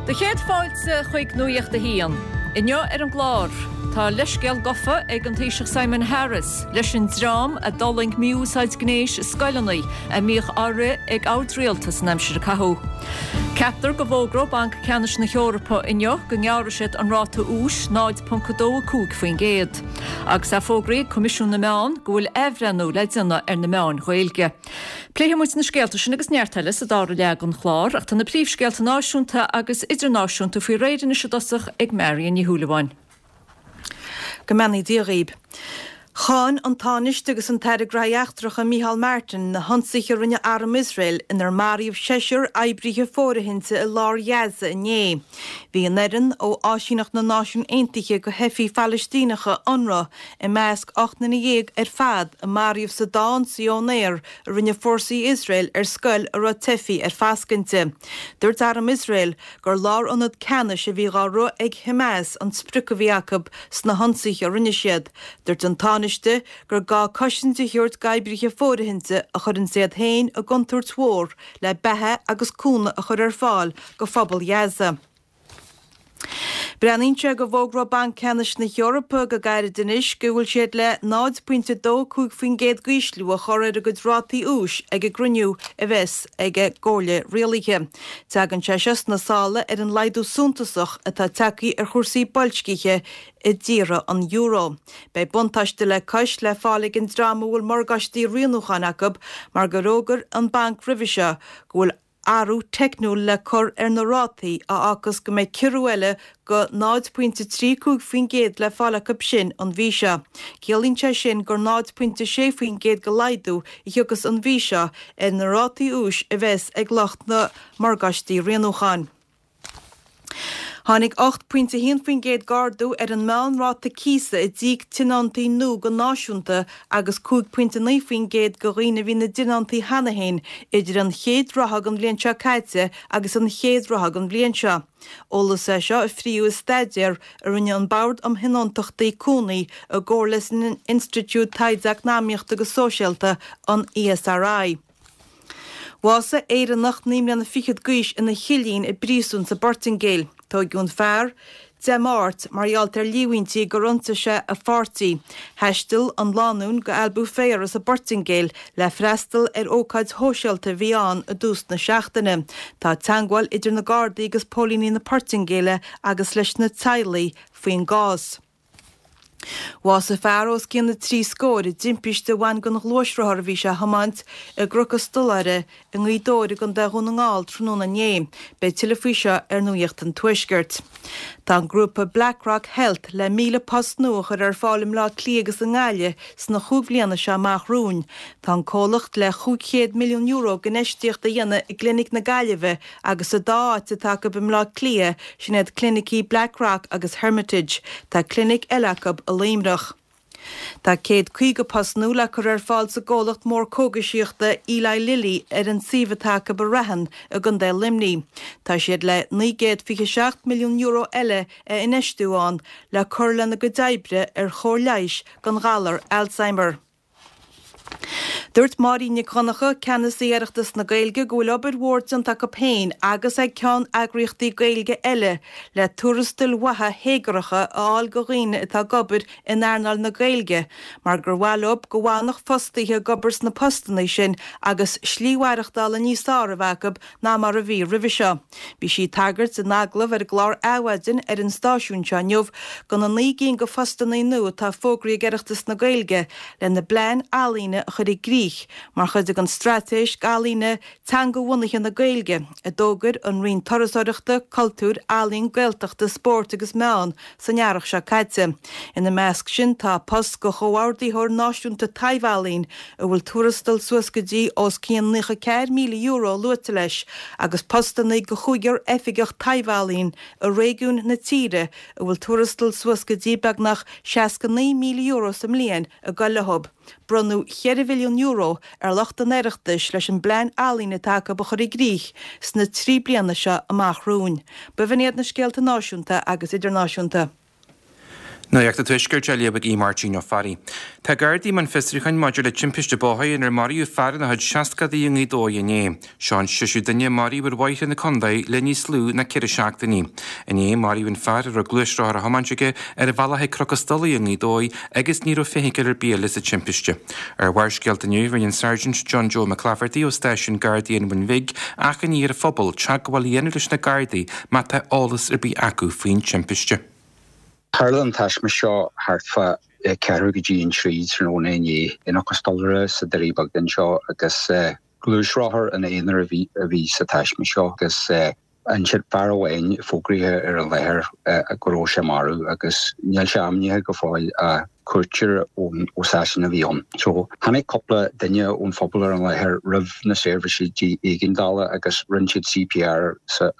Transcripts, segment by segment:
Do chéad fáilte chuig Nuacht a hAon. Inniu ar an gclár, tá leithscéal gofa ag an Taoiseach Simon Harris leis an dream a d'fhulaing mí-úsáid gnéis i scoileanna a mbíodh á rith ag Ard-Rialtas an aimsir a caitheadh. Ceaptar go bhfógróidh Banc Ceannais na hEorpa inniu go ngearrfaidh siad an ráta úis 0.25%. Agus é fógraithe ag Coimisiún na Meán go bhfuil athbhreithniú le déanamh ar na meáin Ghaeilge. Pléifidh muid na scéalta sin agus neart eile sa dara leath den chlár, ach tá na príomhscéalta náisiúnta agus idirnáisiúnta faoi réir anois i dtosach ag Marion Ní Shúilleabháin. Go mbeannaí Dia dhaoib. Cháin an Tánaiste agus an tAire Graithí Eachtracha Micheál Martin na hionsaithe a rinne arm Iosrael inar maraíodh seisear oibrithe fóirithinte i lár Ghaza inné. Bhí an fhoireann ó Áisíneacht na Náisiún Aontaithe do Theifigh Phalaistíneacha, Unrwa, i measc 18 nduine ar fad a maraíodh sa dá ionsaí ón aer a rinne fórsaí Iosrael ar scoil a raibh teifigh ar fascadh inti. Dúirt arm Iosrael gur lárionad ceannais a bhí dhá rith ag Hamas an sprioc a bhí acu sna hionsaithe a rinne siad. Dúirt an Tánaiste gur gá cosaint a thabhairt d'oibrithe fóirithinte a chuireanns iad féin i gcontúirt mhór le beatha agus cúnamh a chur ar fáil go phobal Ghaza. Breathnaíonn sé go bhfógróidh Banc Ceannais na hEorpa go gairid anois go bhfuil siad le 0.25% d'ísliú a chur ar a gcuid rátaí úis ag an gcruinniú a bheas ag a gComhairle Rialaithe. Tagann sé seo sna sála ar an laghdú suntasach atá tagtha ar chúrsaí boilscithe i dtíortha an euro. Beidh buntáiste le cois le fáil ag an dream a bhfuil morgáistí rianúcháin acu mar gur fhógair an banc roimhe seo go bhfuil athrú teicniúil le cur ar na rátaí a fhágfas go mbeidh ciorrú eile go 0.35% le fáil acu sin an mhí seo. Ciallaíonn sé sin gur 0.6% de laghdú a thiocfas an mhí seo ar na rátaí úis a bheas ag lucht na morgáistí rianúcháin. Tháinig 8.1% d'ardú ar an meánráta cíosa a d'íoc tionóntaí nua go náisiúnta agus 5.9% do dhaoine a bhí ina dtionóntaí cheana féin idir an chéad ráithe den bhliain seo caite agus an chéad ráithe den bhliain seo. Eolas é seo a fríodh i staidéar a rinne an Bord um Thionóntachtaí Cónaí i gcomhar leis an Institiúid Taighde Eacnamaíochta agus Sóisialta, an ESRI. Bhásaigh Éireannach 29 mbliana d'aois ina chillín i bpríosún sa bPortaingéil. Tóigeadh an fear Dé Máirt mar gheall ar líomhaintí gur ionsaigh sé a pháirtí. Thaistil an lánúin go Albufeira sa bPortaingéil le freastal ar ócáid shóisialta a bhí ann i dtús na seachtaine. Tá teagmháil idir na Gardaí agus póilíní na Portaingéile agus leis na teaghlaigh faoin gcás. Bhásaigh fear os cionn na dtrí scór i dtimpiste a bhain den ghluaisrothar a bhí sé a thiomáint i gCnoc an Stolaire i nGaoth Dobhair i gContae Dhún na nGall tráthnóna inné. Beidh tuilleadh faoi seo ar Nuacht an Tuaiscirt. Tá an grúpa Blackrock Health le 1,000 post nua a chur ar fáil i mBleá Cliath agus i nGaillimh sna chúig bhliana seo amach romhainn. Tá an comhlacht le €500 milliún d'infheistíocht a dhéanamh i gClinic na Gaillimhe Agus sa dá áit atá acu i mBleá Cliath, sin iad clinicí Blackrock agus Hermitage. Tá clinic eile acu i Luimneach. Tá 150 post nua le cur ar fáil sa gcomhlacht mór cógaisíochta Eli Lilly ar an suíomh atá acu i Raithin i gContae Luimnigh. Tá siad le €927 milliún eile a infheistiú ann le cur lena gcuid oibre ar chóir leighis don ghalar Alzheimer. Dúirt Máirín Nic Dhonncha, Ceannasaí Oireachtas na Gaeilge, go bhfuil obair mhór déanta acu féin agus ag ceann-eagraíochtaí Gaeilge eile le tuarastail mhaithe théagartha a fháil do dhaoine atá ag obair in earnáil na Gaeilge mar gur mhaith leo go bhfanfadh fostaithe ag obair sna postanna sin agus slí mhaireachtála níos fearr a bheith acu ná mar a bhí roimhe seo. Bhí sí ag tagairt in agallamh ar an gclár Adhmhaidin ar an stáisiún seo inniu do na 9 gcinn de phostanna nua atá fógraithe ag Oireachtas na Gaeilge lena bplean ealaíne a chur i gcrích mar chuid den Straitéis Ealaíne Teangabhunaithe na Gaeilge a d'fhógair an Roinn Turasóireachta, Cultúir, Ealaíon, Gaeltachta, Spóirt agus Meán san earrach seo caite. Ina measc sin tá post do Chomhordaitheoir Náisiúnta Taibh-Ealaíon a bhfuil tuarastal suas go dtí os cionn €94,000 luaite leis agus postanna do chúigear oifigeach taibh-ealaíon i réigiúin na tíre a bhfuil tuarastal suas go dtí beagnach €69,000 sa mbliain ag goil leo. Bronnadh €4 mhilliún ar lucht an Oireachtais leis an bplean ealaíne atá acu a chur i gcrích sna 3 bliana seo amach romhainn. B'in iad na scéalta náisiúnta agus idirnáisiúnta. Nuacht an Tuaiscirt á léamh ag Aodh Máirtín Ó Fearraigh. Tá Gardaí i mbun fiosrúcháin maidir le timpiste bóthair inar maraíodh fear ina chuid seascadaí i nGaoth Dobhair inné. Seo an seisiú duine a maraíodh ar bhóithre na contae le níos lú ná 4 seachtainí. Inné, maraíodh an fear a raibh gluaisrothar á thiomáint aige ar a bhealach chuig Cnoc an Stolaire i nGaoth Dobhair agus ní raibh feithicil ar bith eile sa timpiste. Ar Bharrscéalta inniu, rinne an Sergeant John Joe McClafferty ó stáisiún Gardaí an Bhun Bhig achainí ar an phobal teagmháil a dhéanamh leis na Gardaí má tá eolas ar bith acu faoin timpiste. Tharla an taisme seo thart fá ceathrú go dtí an trí tráthnóna inné i gCnoc an Stolaire sa Doirí Beag anseo agus gluaisrothar ina aonar a bhí sa taisme seo agus ansin fear amháin fógraithe ar an láthair go raibh sé marbh agus níl sé ainmnithe go fóill ach cuairteoir ó Sasana a bhí ann. So, tháinig cúpla duine ón phobal ar an láthair roimh na seirbhísí éigeandála agus rinne siad CPR sa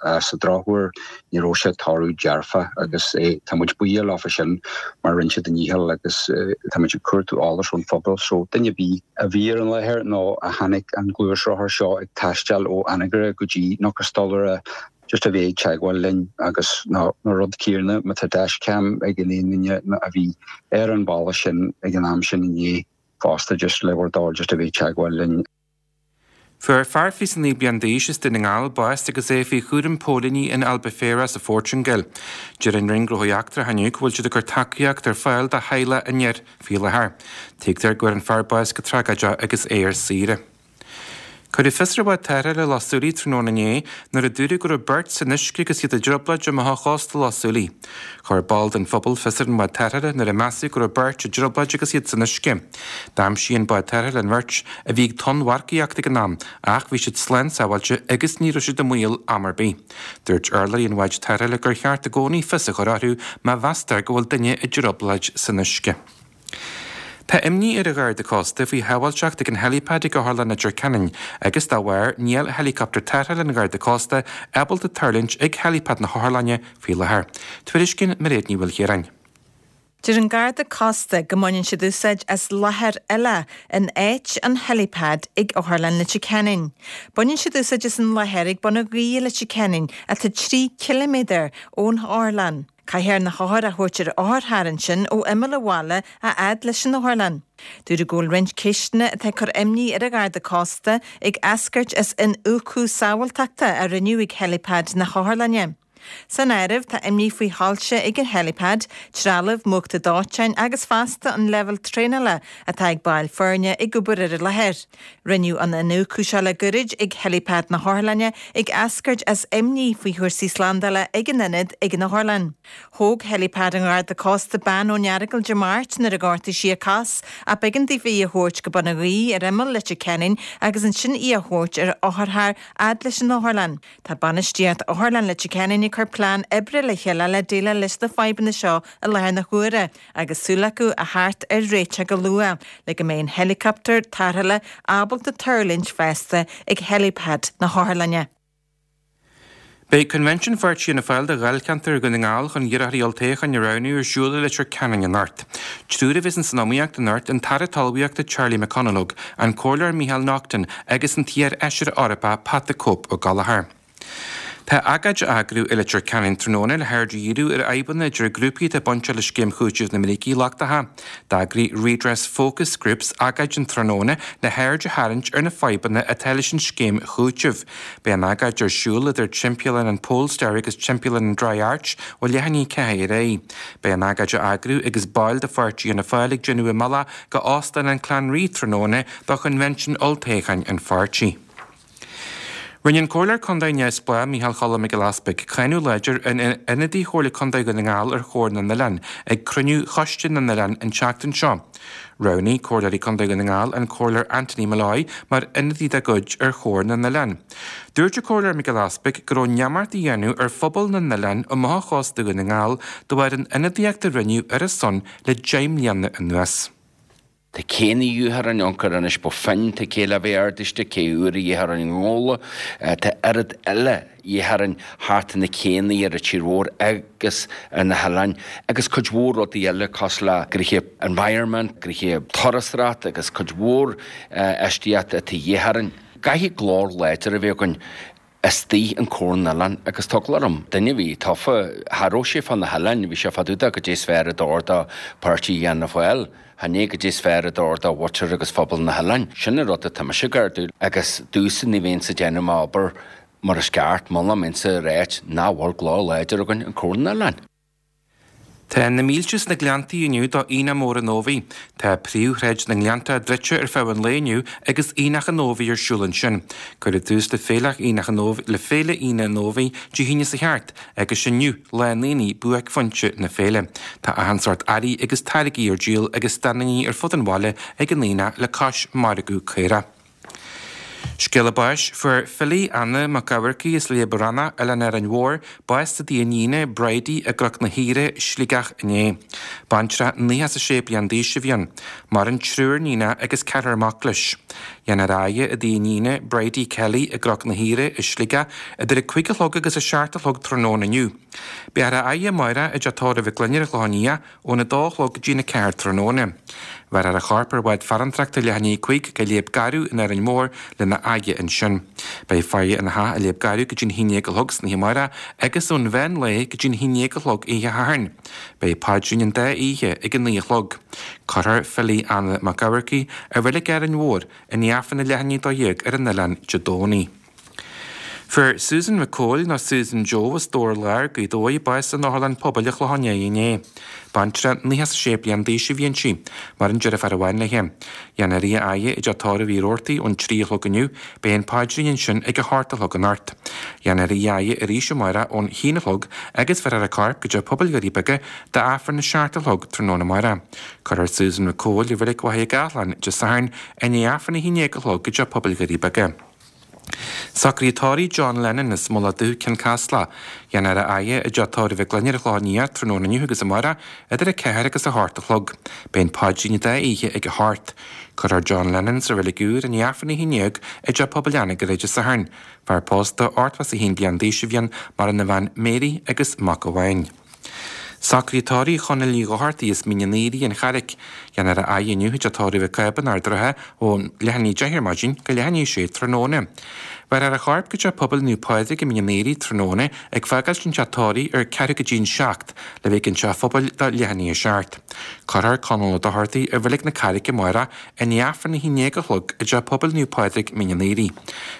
drochuair ní raibh sé toradh dearfach agus tá muid buíoch leofa sin mar rinne siad a ndícheall agus tá muid ag cuartú eolais ón phobal. So, duine ar bith a bhí ar an láthair nó a chonaic an gluaisrothar seo ag taisteal ó Anagaire go dtí Cnoc an Stolaire just a bheith ag teagmháil linn agus nó an rud céanna má tá dashcam ag aon duine a bhí ar an bhealach sin ag an am sin inné fosta just le bhur dtoil just a bheith ag teagmháil linn. Fuair fear 29 bliain d'aois as Dún na nGall bás agus é faoi chúram póilíní in Albufeira sa Phortaingéil. Deir an Roinn Gnóthaí Eachtracha inniu go bhfuil siad ag cur tacaíocht ar fáil do theaghlach an fhir faoi láthair. Tuigtear go bhfuair an fear bás go tragóideach agus é ar saoire. Cuireadh fios ar bhád tarrthála i Loch Súilí tráthnóna inné nuair a dúradh go raibh beirt san uisce agus iad i dtrioblóid amuigh ó chósta Loch Súilí. Chuir ball den phobal fios ar an bhád tarrthála nuair a measadh go raibh beirt i dtrioblóid agus iad san uisce. D'aimsigh an bád tarrthála an bheirt, a bhí ag tonnmharcaíocht ag an am, ach bhí siad slán sábháilte agus ní raibh siad i mbaol am ar bith. Dúirt urlabhraí an bháid tarrthála gur cheart i gcónaí fios a chur orthu má mheastar go bhfuil duine i dtrioblóid san uisce. Tá imní ar an Gharda Cósta faoi shábháilteacht ag an helipad ag Otharlann Leitir Ceanainn agus dá bharr níl héileacaptar tarrthála an Gharda Cósta ábalta tuirlingt ag helipad na hotharlainne faoi láthair. Tuairiscíonn Mairéad Ní Mhaoilchiaráin. Deir an Garda Cósta go mbaineann siad úsáid as láthair eile in áit an helipad ag Otharlann Leitir Ceanainn. Baineann siad úsáid as an láthair ag Bun an Ghaoith i Leitir Ceanainn atá 3 ciliméadar ón otharlann. Caithfear na hothair a thabhairt ar otharcharr ansin ó imeall an bhaile a fhad leis an otharlann. Dúradh go bhfuil roinnt ceisteanna atá ag cur imní ar an Gharda Cósta ag eascairt as iniúchadh sábháilteachta a rinneadh ag helipad na hotharlainne. San áireamh tá imní faoi shoilse ag an helipad, trealamh múchta dóiteáin agus fosta an leibhéal traenála atá ag baill foirne ag obair ar an láthair. Rinneadh an iniúchadh seo le gairid ag helipad na hotharlainne ag eascairt as imní faoi chúrsaí slándála ag an ionad ag an otharlann. Thóg helipad an Gharda Cósta bean ón Earagail Dé Máirt nuair a ghortaigh sí a cos ach b'éigean daofa í a thabhairt go Bun an Ghaoith ar imeall Leitir Ceanainn agus ansin í a thabhairt ar otharcharr fhad leis an otharlann. Tá bainistíocht Otharlann Leitir Ceanainn ag cur plean oibre le chéile le déileáil leis na fadhbanna seo i láthair na huaire agus súil acu a theacht ar réiteach go luath le go mbeidh an héileacaptar tarrthála ábalta tuirlingt feasta ag helipad na hotharlainne. Beidh Coinbhinsiún Pháirtí Fhianna Fáil do Dháilcheantar Dhún na nGall chun iarrthóirí olltoghcháin a roghnú ar siúl i Leitir Ceanainn anocht. Triúr a bheas san iomaíocht anocht, an tAire Talmhaíochta Charlie McConalogue, an Comhairleoir Micheál Naughton agus an t-iar-fheisire Eorpach Pat the Cope Ó Gallchóir. Tá agóid á eagrú i Leitir Ceanainn tráthnóna le haird a dhíriú ar fhadhbanna idir grúpaí atá bainteach le Scéim Chúitimh na mBrící Lochtacha. D'eagraigh Redress Focus Groups agóid an tráthnóna le haird a tharraingt ar na fadhbanna atá leis an scéim chúitimh. Beidh an agóid ar siúl idir timpeallán an Polestar agus timpeallán an Dry Arch ó leath i ndiaidh 4 ar aghaidh. Beidh an agóid á eagrú agus baill de pháirtí Fhianna Fáil ag déanamh a mbealach go Óstán an Clanree tráthnóna do choinbhinsiún olltoghcháin an pháirtí. Rinne an Comhairleoir Contae neamhspleách Micheál Choilm Mac Giolla Easpaig cáineadh láidir ar ionadaí Chomhairle Contae Dhún na nGall ar Chomhar na nOileán ag cruinniú Choiste na nOileán an tseachtain seo. Roghnaigh Comhairleoirí Contae Dhún na nGall an Comhairleoir Anthony Molloy mar ionadaí dá gcuid ar Chomhar na nOileán. Dúirt an Comhairleoir Mac Giolla Easpaig go raibh neamart á dhéanamh ar phobal na n-oileán amuigh ó chósta Dhún na nGall de bharr an ionadaíocht a rinneadh ar a son le 10 mbliana anuas. Tá céanna dheartháir an ioncair anois ba finn, tá cé le bheith ardaiste, cé uair a dheartháir an ngóla, tá oiread eile dheartháir an thart na céanna ar an tír mhór agus ar na hoileáin agus cuid mhór rudaí eile cosúil le gnoithe environment, gnoithe turasóireacht agus cuid mhór eistíocht atá dheartháir an. Caithfidh glór láidir a bheith againn. Istigh in Comhar na nOileán agus tá eagla orm, duine a bhí tofa, cha raibh sé fá na hoileáin, bhí sé fá dtaobh de goidé is fearr a d'fhóir do pháirtí Fhianna Fáil, chan é goidé is fearr a d'fhóir do mhuintir agus phobal na hoileáin. Sin an rud atá mise ag ardú agus domhsa ní bheinnse ag déanamh m'obair mar is ceart muna mbeinnse ag ráit nach bhfuil glór láidir againn in Comhar na nOileán. Tá na mílte sna Gleanntaí inniu do Aonach Mór an Ómhaigh. Tá príomhshráid na nGleannta druidte ar feadh an lae inniu agus Aonach an Ómhaigh ar siúl ansin. Cuireadh tús le Féile Aonach an le Féile Aonach an Ómhaigh Dé hAoine seo thart agus inniu lá an aonaigh buaicphointe na féile. Tá achan sórt earraí agus táirgí ar díol ag standannaí ar fud an bhaile ag an aonach le cois margadh caorach. Scéala báis, Fuair Philly Anna Mac Eamharcaigh as Léab Rannach, Oileán Árainn Mhór, bás sa dtigh a iníne, Bridie, i gCnoc na hAoire, Sligeach inné. Baintreach 96 bliain d'aois a bhí ann. Maireann triúr níonach agus ceathrar mac leis. Déanfar a fhaire i dtigh a iníne, Bridie Kelly, i gCnoc na hAoire, i Sligeach, idir a 5 a chlog agus a 7 a chlog tráthnóna inniu. Beifear á fhaire amárach i dTeach Tórraimh Mhic Gloinn ar an Chlochán Liath, Óna dó a chlog go dtí'n 4 tráthnóna. Bheirfear a chorp ar bhád farantrachta leath i ndiaidh 5 go Léab Garbh in Árainn Mhór lena fhaire ansin. Beidh faire ina theach i Léab Garbh go dtí'n haon dhéag a chlog san oíche amárach agus ón mheán lae go dtí'n haon dhéag a chlog oíche Shathairn. Beidh paidrín an dá oíche ag a naoi a chlog. Cuirfear Philly Anna Mac Eamharcaigh i Reilig Árainn Mhór i ndiaidh Aifreann a leath i ndiaidh a 12 ar an oileán Dé Domhnaigh. Fuair Susan Mhic Cóil, nó Susan Joe, as Dobhar Láir, Gaoth Dobhair, bás in Otharlann Pobail an Chlocháin Léith inné. Baintreach 96 bliain d'aois a bhí inti. Maireann deirfiúr amháin léi. Déanfar í a fhaire i dteach tórraimh Uí Rabhartaigh ón 3 a chlog inniu. Beidh an paidrín ansin ag a hocht a chlog anocht. Déanfar í a fhaire arís amárach ón haon a chlog agus bheirfear a corp go dteach pobail Dhoirí Beaga d'Aifreann a seacht a chlog tráthnóna amárach. Cuirfear Susan Mhic Cóil i Reilig Mhachaire Gathlán Dé Sathairn i ndiaidh Aifreann a haon déag a chlog i dteach pobail Dhoirí Beaga. Socruithe tórraimh John Lennon as Mullach Dubh, Cionn Caslach. Déanfar a fhaire i dteach tórraimh Mhic Gloinn ar an Chlochán Liath tráthnóna inniu agus amárach idir 4 agus 8 a chlog. Beidh an paidrín an dá oíche ag a hocht. Cuirfear John Lennon sa reilig úr i ndiaidh Aifreann a 11 i dTeach Pobail Anagaire Dé Sathairn. Fear pósta, 81 bliain d'aois a bhí ann, maireann a bhean Mary agus mac amháin. Socruithe tórraimh Chonaill Uí Dhochartaigh as Mín an Aoraigh, An Charraic. Déanfar a fhaire inniu i dteach tórraimh Mhic Cába in Ard an Rátha ó leath i ndiaidh 10 ar maidin go leath i ndiaidh 6 tráthnóna. Bheirfear a chorp go Teach Pobail Naomh Pádraig i Mín an Aoraigh tráthnóna ag fágáilt an teach tórraimh ar ceathrú go dtí an 7 le bheith ag an teach phobail do leath i ndiaidh 7. Cuirfear Conall Ó Dochartaigh i Reilig na Carraice amárach i ndiaidh Aifreann a 11 a chlog i dTeach Pobail Naomh Pádraig, Mín an Aoraigh.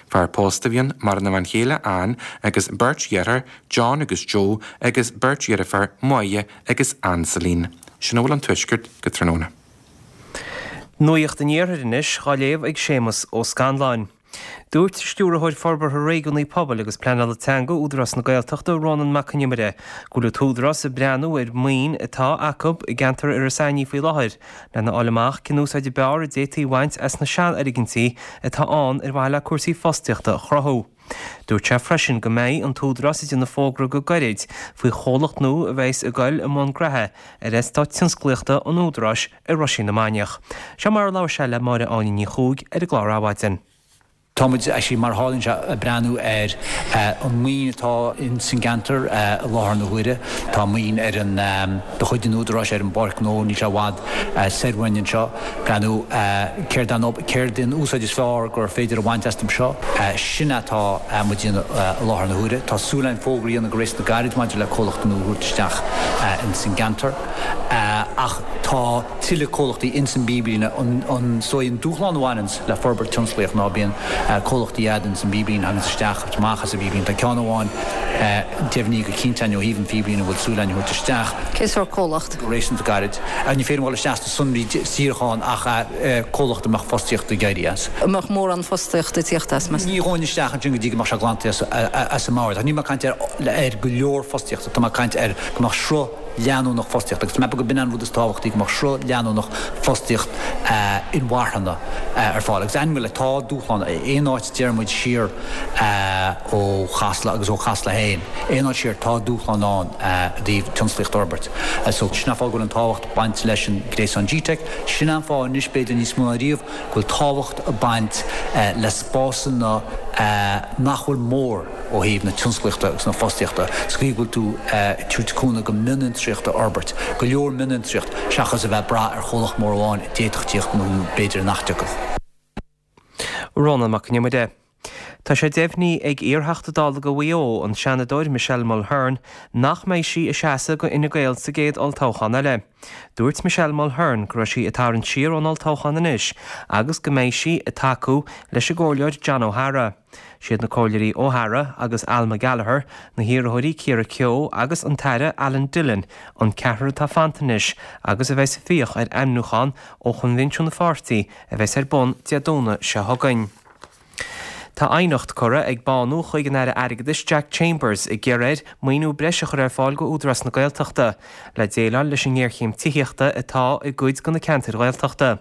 Fear pósta a bhí ann, maireann a bhean chéile Ann agus beirt dheartháir, John agus Joe agus beirt dheirféar, Máire agus Ann Celine. Sin a bhfuil ón Tuaisceart go tráthnóna. Nuacht an Iarthair anois dhá léamh ag Séamus Ó Scanláin. Dúirt Stiúrthóir Forbartha Réigiúnaí Pobail agus Pleanála Teanga Údarás na Gaeltachta, Rónán Mac Con Iomaire, go bhfuil an tÚdarás ag breathnú ar mhaoin atá acu i gceantar Iorras Aithní faoi láthair lena fháil amach cén úsáid ab fhearr a d'fhéadfaí a bhaint as na seanfhoirgintí atá ann ar mhaithe le cúrsaí fostaíochta a chruthú. Dúirt sé freisin go mbeidh an tÚdarás ag déanamh fógra go gairid faoi chomhlacht nua a bheas ag goil i mbun graithe ar eastát tionsclaíochta an Údaráis i Roisín na Mainiach. Seo mar a labhair sé le Máire Áine Ní Chuaig ar an gclár Adhmhaidin. Tá muid, actually, mar a tharlaíonn sé, ag breathnú ar an maoin atá ins an gceantar i láthair na huaire. Tá maoin ar an, de chuid an Údaráis ar an bPáirc Ghnó, níl sé i bhfad soir uainn anseo. Breathnú céard an céard an úsáid is fearr gur féidir a bhaint astu seo. Sin atá muid a dhéanamh i láthair na huaire. Tá súil againn fógra a dhéanamh go réasúnta gairid maidir le comhlacht nua a thabhairt isteach ins an gceantar. Ach tá tuilleadh comhlachtaí ins an bpíblíne. An is dóigh an dúshlán a bhaineanns le forbairt tionsclaíoch ná bíonn comhlachtaí a'd ins an bpíblíne, thaganns isteach agus amach as an bpíblíne. Tá ceann amháin deimhnithe go cinnte a'inn ó thaobh an phíblíne a bhfuil súil a'inn a thabhairt isteach. Cén sórt comhlacht? Go réasúnta gairid. Ní féidir liom dul isteach sna sonraí díreach ann ach comhlacht a mbeadh fostaíocht ag éirí as. An mbeadh mórán fostaíochta ag tíocht as, meas tú? Ní ghabhfainn isteach ansin go dtí go mbeadh sé glanta as an mbord. Ach níl mé ag caint ar go leor fostaíochta, tá mé ag caint ar go mbeadh sruth leanúnach fostaíochta. Agus tá mé ag ceapadh go b'in an rud is tábhachtaí, go mbeadh sruth leanúnach fostaíocht inmharthana ar fáil. Agus ainm go le tá dúshlán, aon áit a deir muid siar ó Chasla agus ó Chasla féin, aon áit siar tá dúshlán ann i dtaobh tionsclaíocht a fhorbairt. So sin an fáth go bhfuil an tábhacht ag baint leis an gréasán GTeic. Sin an fáth anois, b'fhéidir níos mó ná riamh, go bhfuil tábhacht ag baint le spásanna nach bhfuil mór ó thaobh na tionsclaíochta agus na fostaíochta, sa chaoi go bhfuil tú ag tabhairt cúnamh go mionfhiontraíocht a fhorbairt, go leor mionfhiontraíocht, seachas a bheith ag brath ar chomhlacht mór amháin a d'fhéadfadh tíocht nó b'fhéidir nach dtiocfadh. Rónán Mac Con Iomaire. Tá sé deimhnithe ag iar-Theachta Dála do Mhaigh Eo, an Seanadóir Michelle Mulhern, nach mbeidh sí ag seasamh do Fhine Gael sa gcéad olltoghchán eile. Dúirt Michelle Mulhern go raibh sí ag tarraingt siar ón olltoghchán anois agus go mbeidh sí ag tacú leis an gComhairleoir John O'Hara. Siad na Comhairleoirí O'Hara agus Alma Gallagher, na hiarrthóirí Ciara Keogh agus an tAire Alan Dillon an ceathrar atá fanta anois agus a bheas ag fiach ar ainmniúchán ó choinbhinsiún an pháirtí a bheas ar bun Dé Domhnaigh seo chugainn. Tá aighneacht curtha ag Bánú chuig an Aire Airgeadais Jack Chambers ag iarraidh air maoiniú breise a chur ar fáil go Údarás na Gaeltachta le déileáil leis an ngéarchéim tithíochta atá i gcuid de na ceantair Ghaeltachta.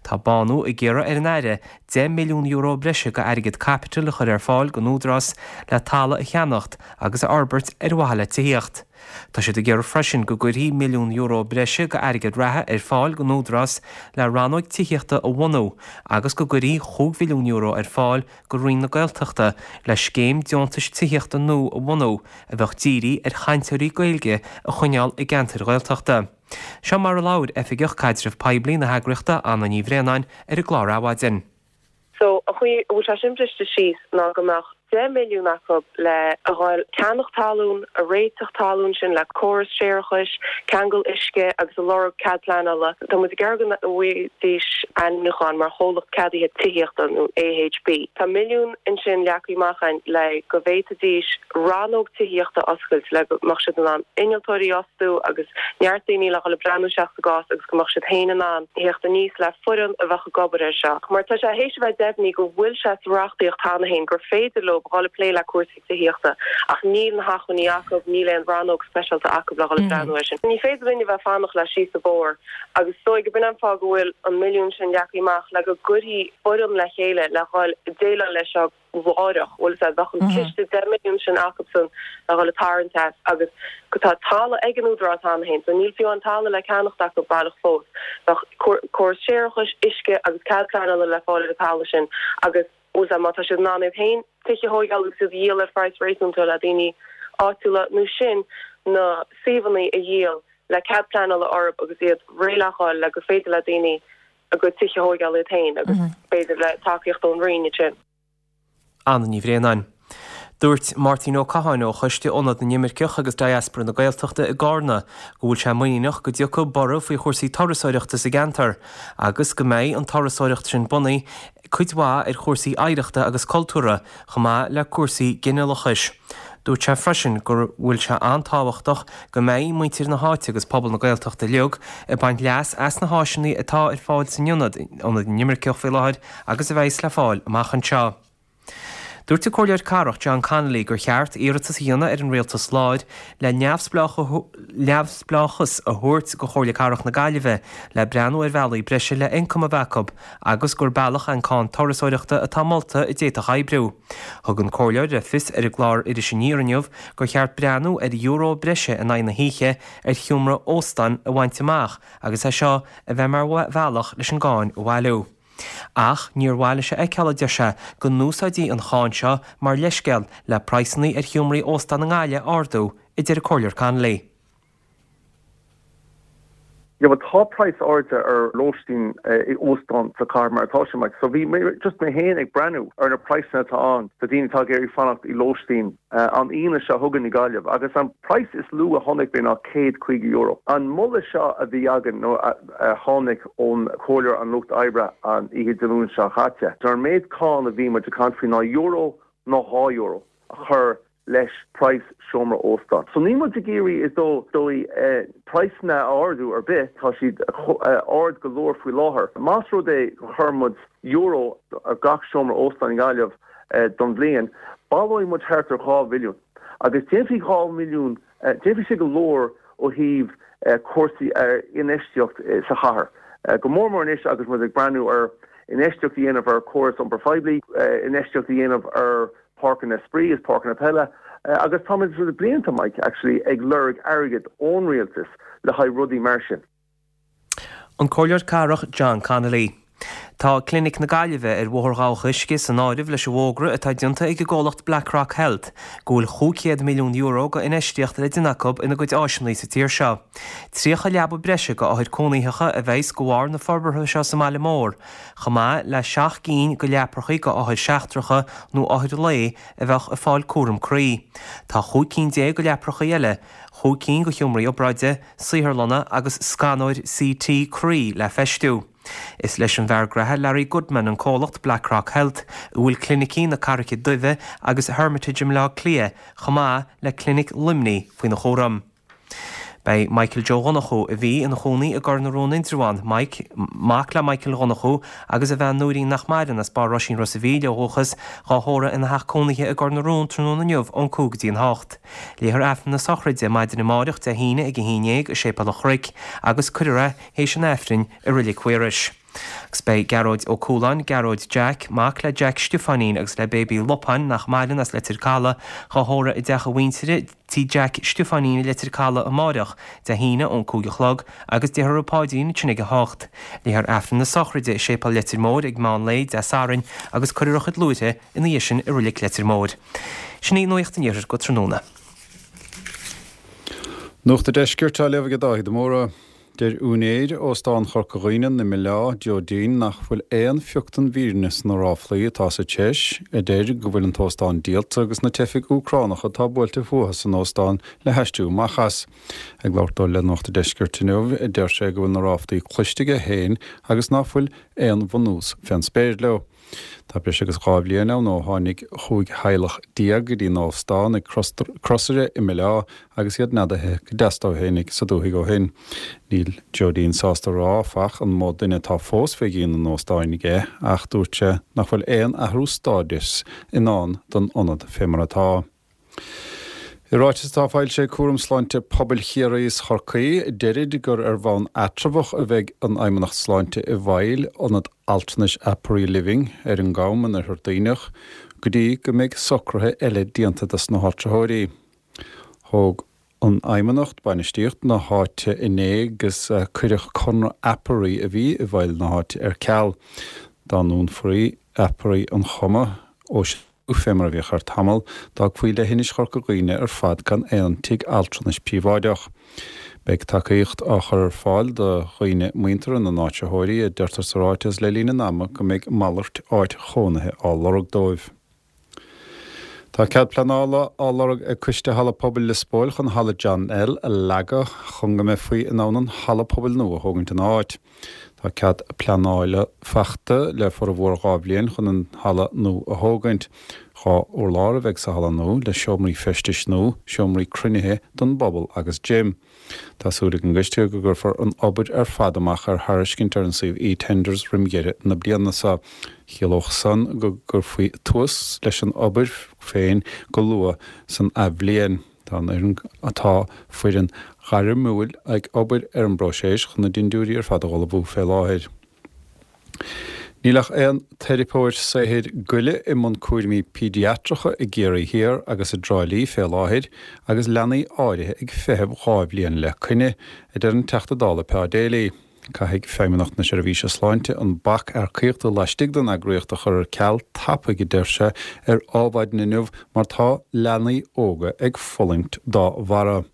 Tá Bánú ag iarraidh ar an Aire €10 milliún breise go airgead caipitil a chur ar fáil don Údarás le talamh a cheannacht agus a fhorbairt ar mhaithe le tithíocht. Tá siad ag iarraidh freisin go gcuirfí €1 milliún breise go airgead reatha ar fáil don Údarás le rannóig tithíochta a bhunú agus go gcuirfí €5 mhilliún ar fáil go Roinn na Gaeltachta le scéim deontais tithíochta nua a bhunú a bheadh dírithe ar chainteoirí Gaeilge a choinneáil i gceantair Ghaeltachta. Seo mar a labhair Oifigeach Caidreamh Poiblí na heagraíochta Anna Ní Bhraonáin ar an gclár Adhmhaidin. So, an chaoi a bhfuil sé sin briste síos ná go mbeadh 10 milliún acu le a dhul ceannach talún, a réiteach talún sin le córas séarachais, ceangal uisce agus a lorg cead pleanála. Tá muid ag iarraidh go bhfaighidís ainmniúchán mar chomhlacht ceadaithe tithíochta nó AHB. Tá milliún ansin leagtha amach againn le go bhféadfaidís rannóg tithíochta a oscailt le go mbeadh siad in ann innealtóirí a fhostú agus neart daoine le dhul ag breathnú isteach sa gcás agus go mbeadh siad féin in ann theacht aníos le foireann a bheadh ag obair air seo. Mar tá sé théis a bheith deimhnithe go bhfuil sé sa reachtaíocht cheana féin gur féidir leo dhul ag plé le cúrsaí tithíochta ach níl na hacmhainní acu, níl aon rannóg speisialta acu le dhul ag breathnú air sin. Ní féidir linn a bheith ag fanacht le síos an bóthar agus is dóigh go b'in an fáth go bhfuil an milliún sin leagtha amach le go gcuirfí foireann le chéile le dhul ag déileáil leis seo láithreach, bhfuil a fhios agat, bheadh an ciste 10 milliún sin acusan le dhul ag tarraingt as agus go tá talamh ag an Údarás cheana féin, so níl fiú an talamh le ceannacht acu baileach fós. Bheadh córas séarachais, uisce agus cead pleanála le fáil ar an talamh sin agus, bhfuil a fhios agat, má tá siad in ann iad féin tithe a thóigeáil agus iad a dhíol ar phraghas réasúnta le daoine áitiúla nó sin na suíomhanna a dhíol le cead pleanála orthu agus iad réidh le fáil le gur féidir le daoine a gcuid tithe a thóigeáil iad féin agus b'fhéidir le tacaíocht ón Roinn ansin. Anna Ní Bhraonáin. Dúirt Máirtín Ó Catháin ó Choiste Ionad na nImirceach agus Diaspora na Gaeltachta i gCarna go bhfuil sé muiníneach go dtiocfaidh borradh faoi chúrsaí turasóireachta sa gceantar agus go mbeidh an turasóireacht sin bunaithe cuid mhaith ar chúrsaí oidhreachta agus cultúrtha chomh maith le cúrsaí ginealachais. Dúirt sé freisin go bhfuil sé an-tábhachtach go mbeidh muintir na háite agus pobal na Gaeltachta uilig ag baint leas as na háiseanna atá ar fáil san ionad, Ionad na nImirceach faoi láthair agus a bheas le fáil amach anseo. Dúirt an Comhairleoir Cathrach John Connolly gur cheart iarratas a dhéanamh ar an Rialtas Láir le neamhspleáchas a thabhairt go Chomhairle Cathrach na Gaillimhe le breathnú ar bhealaí breise le ioncam a bheith acu agus gur bealach an cáin turasóireachta atá molta a d'fhéadfadh oibriú. Thug an Comhairleoir le fios ar an gclár Iris Aniar inniu gur cheart breathnú ar euro breise in aghaidh na hoíche ar sheomra óstáin a bhaint amach agus é seo a bheith mar bhealach leis an gcáin a bhailiú. Ach níor mhaith leis a fheiceáil, a deir sé, go n-úsáidfí an cháin seo mar leithscéal le praghsanna ar sheomraí óstán i nGaillimh a ardú, a deir an Comhairleoir Connolly. Yeah bhuel tá praghas airde ar lóistín i óstán sa chathair mar atá sé Mike. So bhí mé just mé féin ag breathnú ar na praghsanna atá ann do daoine atá ag iarraidh fanacht i lóistín an Aoine seo chugainn i Gaillimh agus an praghas is lú a chonaic mé ná €150. An moladh seo a bhí againn nó a tháinig ón Comhairleoir an Lucht Oibre an oíche Dé Luain seo chaite, an méid cáin a bhí muid ag caint faoi ná euro nó €2 a chur leis praghas seomra óstáin. So níl muid ag iarraidh is dóigh praghsanna a ardú ar bith, tá siad ard go leor faoi láthair. Más rud é go chuir muid euro ar gach seomra óstáin i nGaillimh don bhliain, baileoidh muid thart ar 2 mhilliún. Agus déanfaidh 2 mhilliún, déanfaidh sé go leor ó thaobh cúrsaí infheistíocht sa chathair. Go mór mór anois agus muid ag breathnú ar infheistíocht a dhéanamh ar chóras iompair phoiblí, infheistíocht a dhéanamh ar páirceanna spraoi is páirceanna peile agus táimid le blianta, Mike, actually ag lorg airgead ón rialtas le haghaidh rudaí mar sin. An Comhairleoir Cathrach John Connolly. Tá Clinic na Gaillimhe ar Bhóthar Dhabhach Uisce san áireamh leis an bhfógra atá déanta ag an gcomhlacht Blackrock Health go bhfuil €500 milliún go infheistíocht le déanamh acu ina gcuid áiseanna sa tír seo. 30 leaba breise go othair cónaitheacha a bheas go bharr na forbartha seo sa mbaile mór, chomh maith le 7 gcinn go leaprachaí go othair seachtracha nó othair lae a bheadh ag fáil cúram croí. Tá 15 cinn go leaprachaí eile, 5 cinn go sheomraí obráide, saotharlanna agus scanóir CT croí le feistiú. Is leis an bhfear graithe Larry Goodman an comhlacht Blackrock Health, a bhfuil clinicí na Carraice Duibhe agus Hermitage i mBleá Cliath chomh maith le Clinic Luimnigh faoina chúram. Beidh Michael Joe Dhonnchú, a bhí ina chónaí i gCor na Rón Indreabhán, Mike, mac le Michael Dhonnchú agus a bhean Nóirín nach maireann, as Barr Roisín Ros a' Mhíl ó dhúchas, dhá thórramh ina theach cónaithe i gCor na Rón tráthnóna inniu ón 5 go dtí an 8. Léifear Aifreann na sochraide maidin amáireach Dé hAoine ag 11 i Séipéal an Chnoic agus cuirfear é théis an Aifrinn i Reilig Mhaorais. Agus beidh Gearóid Ó Cualáin, Gearóid Jack, mac le Jack Stiofáinín agus le Baby Lupáin, nach maireann, as Leitir Caladh, dhá thórramh i dteach a mhuintire, Tí Jack Stiofáinín i Leitir Caladh amáireach, Dé hAoine ón 5 a chlog, agus déarfar an Páidrín ansin ag 8. Léifear Aifreann na sochraide i Séipéal Leitir Móir ag meán lae Dé Sathairn agus cuirfear a chuid luaithre ina dhiaidh sin i Reilig Leitir Móir. Sin í Nuacht an Iarthair go tráthnóna. Nuacht an Deiscirt á léamh ag Dáithí de Mórdha. Deir úinéir Óstán Chorca Dhuibhne i mBaile, Joe Deane, nach bhfuil aon phioc den bhfírinne sna ráflaí atá sa treis a deir go bhfuil an t-óstán díolta agus na teifigh Úcránacha atá buailte fúthu san óstán le haistriú amach as. Ag labhairt dó le Nuacht an Deiscirt inniu, deir sé go bhfuil na ráflaí cloiste aige féin agus ná fuil aon bhunús fén spéir leo. Tá breis agus 2 bhliain ann ó tháinig 15 theaghlach go dtí an óstán ag Crosaire i mBaile Átha agus iad neadaithe go deas dóibh fhéinig sa dúthaigh ó shin. Níl Joe Deane sásta a rá, áfach, an mó duine atá fós fé dhíon an óstáin aige ach dúirt sé nach bhfuil aon athrú stádais i ndán don ionad fé mar atá. I ráiteas atá foilsithe ag Cúram Sláinte Pobail Chiarraí is Chorcaí, deirid gur ar bhonn eatramhach a bheidh an Fheidhmeannacht Sláinte i bhfeighil ionad altranais Apari Living ar an gCam in Oirthear Duibhneach go dtí go mbeidh socruithe eile déanta dos na háitritheoirí. Thóg an Fheidhmeannacht bainistíocht na háite inné agus cuireadh conradh Apari a bhí i bhfeighil na háite ar ceal. Dá ndúnfaí Apari an Choma ó Fé mar a bhíodh ar tamall, d'fhágfaí leithinis Chorca Dhuibhne ar fad gan aon tigh altranais príobháideach. Beidh tacaíocht á chur ar fáil do dhaoine muinteartha na n-áitritheoirí, a deirtear sa ráiteas, le linn an ama go mbeidh malairt áit chónaithe á lorg dóibh. Tá cead pleanála á lorg ag Coiste Halla Pobail Lios Póil chun Halla John L a leagadh chun go mbeifí in ann an halla pobail nua a thógaint ina áit. Tá cead pleanála fachta le formhór 2 bhliain chun an halla nua a thógaint. 2 urlár a bheidh sa halla nua, le seomraí feistis nua, seomraí cruinnithe don bpobal agus gym. Tá súil ag an gcoiste go gcuirfear an obair ar fad amach ar thairiscint ar an suíomh eTenders roim dheireadh na bliana seo. Chiallódh san go gcuirfí tús leis an obair féin go luath san athbhliain. Tá an fhoireann Tá foireann ghairmiúil ag obair ar an bpróiseas chun na dindiúirí ar fad a dh'ullmhú fé láthair. Níl ach aon teiripeoir saothair goile i mbun cúraimí péidiatracha i gCiarraí Thiar agus i dTrá Lí fé láthair agus leanaí áirithe ag feitheamh 2 bhliain le coinne, a deir an Teachta Dála Pa Daly. Caithfidh Feidhmeannacht na Seirbhíse Sláinte an bac earcaíochta laistigh den eagraíocht a chur ar ceal tapaidh, a deir sé ar Adhmhaidin inniu, mar tá leanaí óga ag fulaingt dá bharra.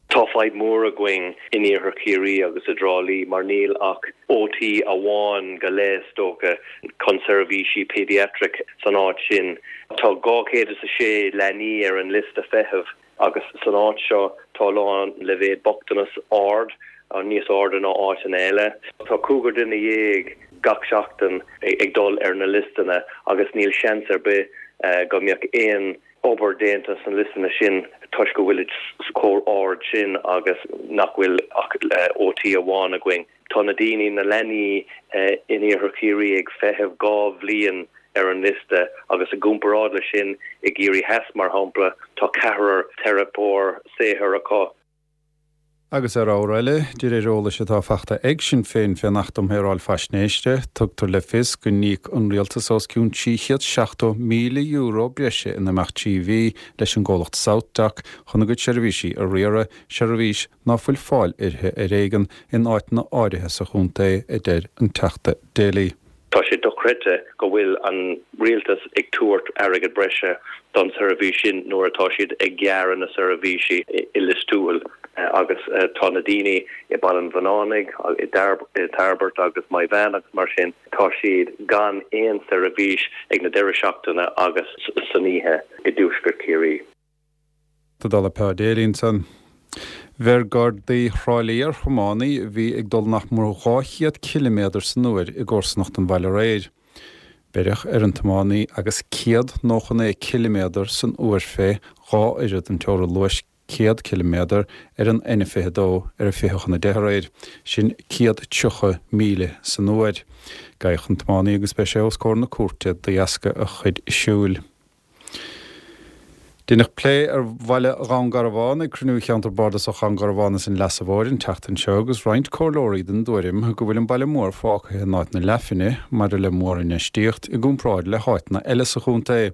Tá fadhb mhór againn in iarthar Chiarraí agus i dTrá Lí mar níl ach OT amháin go leith is dócha chun seirbhísí pediatric san áit sin. Tá 206 leanaí ar an liosta feithimh. Agus san áit seo tá a lán leibhéad bochtanas ard, níos airde ná áiteanna eile. Tá cúigear duine dhéag gach seachtain ag dul ar na liostanna agus níl seans ar bith go mbeadh aon obair déanta sna liostanna sin toisc go bhfuilid chomh ard sin agus nach bhfuil ach OT amháin againn. Tá na daoine, na leanaí in iarthar Chiarraí ag feitheamh 2 bhliain ar an liosta agus i gcomparáid le sin i gCiarraí Theas, mar shampla, tá ceathrar teiripeoir saothair acu. Agus ar ábhar eile, de réir eolais atá fachta ag Sinn Féin fén Acht um Shaoráil Faisnéise, tugtar le fios go n-íoc an Rialtas os cionn €370,000 breise in imeacht 3 mhí leis an gcomhlacht SouthDoc chun a gcuid seirbhísí a riaradh, seirbhís ná fuil fáil uirthi ar éigean in áiteanna áirithe sa chontae, a deir an Teachta Daly. Tá sé dochreidte go bhfuil an rialtas ag tabhairt airgead breise don seirbhís sin nuair atá siad ag gearradh na seirbhísí i Lios Tuathail agus tá na daoine i Baile an Bhunánaigh, i dTairbeart agus Maigh Mheáin agus mar sin, tá siad gan aon seirbhís ag na deireadh seachtaine agus san oíche i dtuaisceart Chiarraí. Tá Peáidéilí ansan. Bheir Gardaí Thrá Lí ar thiománaí a bhí ag dul nach mór 200 ciliméadar san uair i gcomharsanacht an bhaile aréir. Beireadh ar an tiománaí agus 199 ciliméadar san uair fé dhá oiread an teora luais 100 ciliméadar ar an N22 ar a 20 chun 10 aréir, sin 130 míle san uair. Gabhadh an tiománaí agus beidh sé os comhair na cúirte de dheasca a chuid siúil. Deineadh plé ar bhaile Dhún Garbhán ag cruinniú Cheantar Bardasach Dhún Garbhán is an Leasa Mhóir an tseachtain seo agus roinnt comhairleoirí den dtuairim go bhfuil an baile mór fágtha in áit na leathphingne maidir le mórinfheistíocht i gcomparáid le háiteanna eile sa chontae.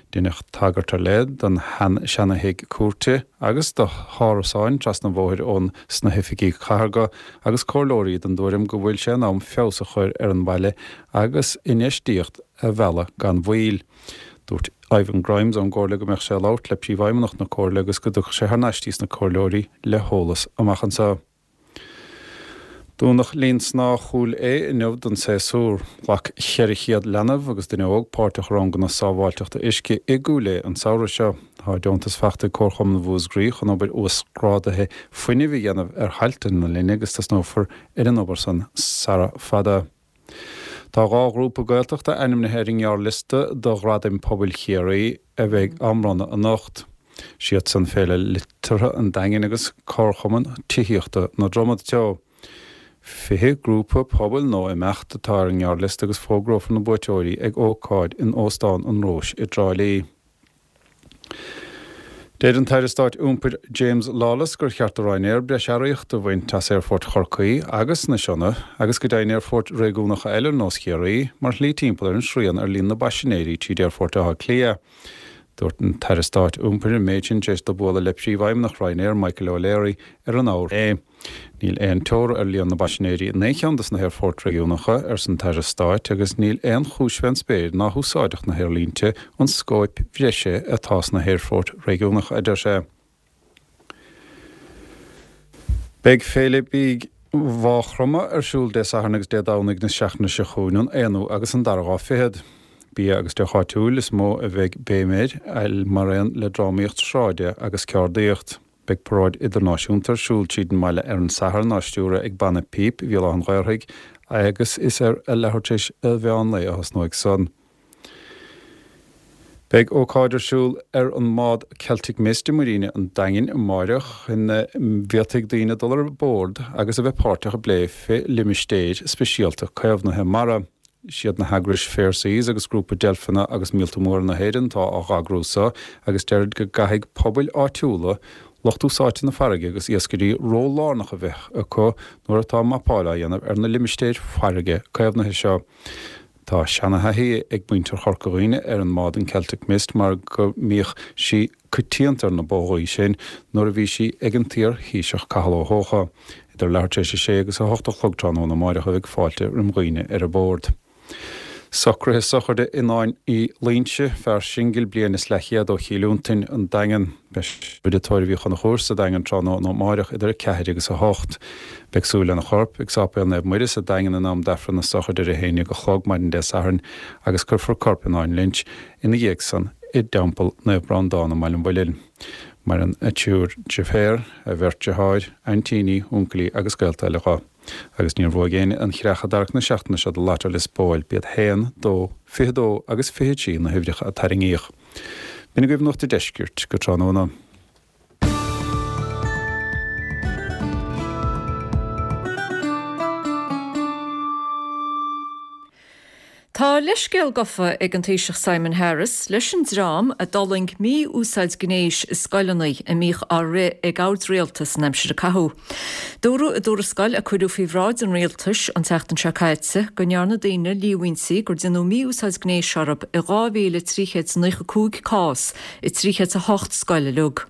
Deineadh tagairt ar leith don seana-thigh cúirte agus do hárasáin trasna an bhóthair ón sna hoifigí cathartha agus comhairleoirí den dtuairim go bhfuil sé in am feabhas a chur ar an bhaile agus infheistíocht a mhealladh gan mhoill. Dúirt Ivan Grimes ón gComhairle go mbeadh sé ag labhairt le Príomhfheidhmeannach na Comhairle agus go dtiocfadh sé thar n-ais dtí sna Comhairleoirí le heolas amach anseo. Dúnadh Linn Snámha Chúil Aodha inniu don séasúr. Ghlac 400 leanbh agus duine óg páirt i ranganna sábháilteachta uisce i gCúil Aodha an samhradh seo. Tá deontas fachta ag Comharchumann Mhúscraí chun obair uasghrádaithe fuinnimh a dhéanamh ar thailte na linne agus tosnófar ar an obair san sara fada. Tá 2 ghrúpa Gaeltachta ainmnithe ar an ngearrliosta do Ghradaim Pobail Chiarraí a bheidh á mbronnadh anocht. Siadsan Féile Liteartha an Daingin agus Comharchumann Tithíochta na Dromad Teo. 20 grúpa pobail nó imeacht atá ar an ngearrliosta agus fógrófar na buaiteoirí ag ócáid in Óstán an Róis i dTrá Lí. Deir an tAire Stáit Iompair James Lawless gur cheart do Ryanair breis earraíochta a bhaint as aerfoirt Chorcaí agus na Sionna agus go deimhin aerfoirt réigiúnacha eile ar nós Chiarraí mar shlí timpeall ar an srian ar líon na bpaisinéirí tríd aerfort Átha Cliath. Dúirt an tAire Stáit Iompair an méid sin tar éis dó bualadh le Príomhfheidhmeannach Ryanair Michael O'Leary ar an abhar. Níl aon teora ar líon na bpaisinéirí in aon cheann de na haerfoirt réigiúnacha, arsa an tAire Stáit, agus níl aon chúis fén spéir ná húsáidfeadh na haerlínte an scóip bhreise atá sna haerfoirt réigiúnacha, a deir sé. Beidh Féile Bídh Mhaigh Chromtha ar siúl Dé Sathairn agus Dé Domhnaigh na seachtaine seo chugainn, an aonú agus an dara lá fichead. Bia agus deoch áitiúil is mó a bheidh béim air, mar aon le drámaíocht sráide agus ceardaíocht. Beidh paráid idirnáisiúnta ar siúl tríd an mbaile ar an Satharn á stiúradh ag Banna Píob Bhéal Átha an Ghaorthaidh agus is ar a leathuair tar éis a mheán lae a thosnóidh san. Beidh ócáid ar siúl ar an mbád Celtic Mist i Muiríne an Daingin amáireach ina bhféadfaidh daoine dul ar bord agus a bheith páirteach i bplé fé limistéir speisialta caomhnaithe mara. Siad na heagrais Fair Seas agus Grúpa Deilfeanna agus Míolta Móra na hÉireann atá á dh'eagrú so agus deirid go gcaithfidh pobail áitiúla, lucht úsáidte na farraige agus iascairí ról lárnach a bheith acu nuair atá mapáil á dhéanamh ar na limistéir farraige caomhnaithe seo. Tá seana-thaithí ag muintir Chorca Dhuibhne ar an mbád an Celtic Mist mar go mbíodh sí coitianta ar na bógaí sin nuair a bhí sí ag an t-iar-Thaoiseach Cathal Ó hEocha. Idir leathuair tar éis a sé agus a hocht a chlog tráthnóna amáireach a bheidh fáilte roim dhaoine ar bord. Socruithe sochraide Fhionnáin Uí Loingsigh, fear singil bliain is leathchéad ó Chill Fhionntain, An Daingean. Beidh sé i dTórramh Uí Chonchúir sa Daingean tráthnóna amáireach idir 4 agus 8. Beidh súil lena chorp ag Sáipéal Naomh Muire sa Daingean in am d'Aifreann na sochraide ar a haon dhéag a chlog maidin Dé Sathairn agus cuirfear corp Fhionnáin Lynch ina dhiaidh san i dTeampall Naomh Breandán i mBaile an Mhuilinn. Maireann a triúr deirféar, a bheirt deartháir, aintíní, uncailí agus gaolta eile dho. Agus níor bhuaigh éinne an chreach i dtarrac na seachtaine seo do Lotto Lios Póil, b'iad 1, 2, 22 agus 23 na huimhreacha a tarraingíodh. B'in agaibh Nuacht a' Deiscirt go tráthnóna. Tá leithscéal gofa ag an Taoiseach Simon Harris leis an dream a d'fhulaing mí-úsáid gnéis i scoileanna a mbíodh á rith ag ard-rialtas san aimsir a caitheadh. Dúradh i dtuarascáil a cuireadh faoi bhráid an rialtais an tseachtain seo caite go ndearna daoine líomhaintí gur déanadh mí-úsáid gnéis orthu i 2,395 cás i 308 scoil uilig.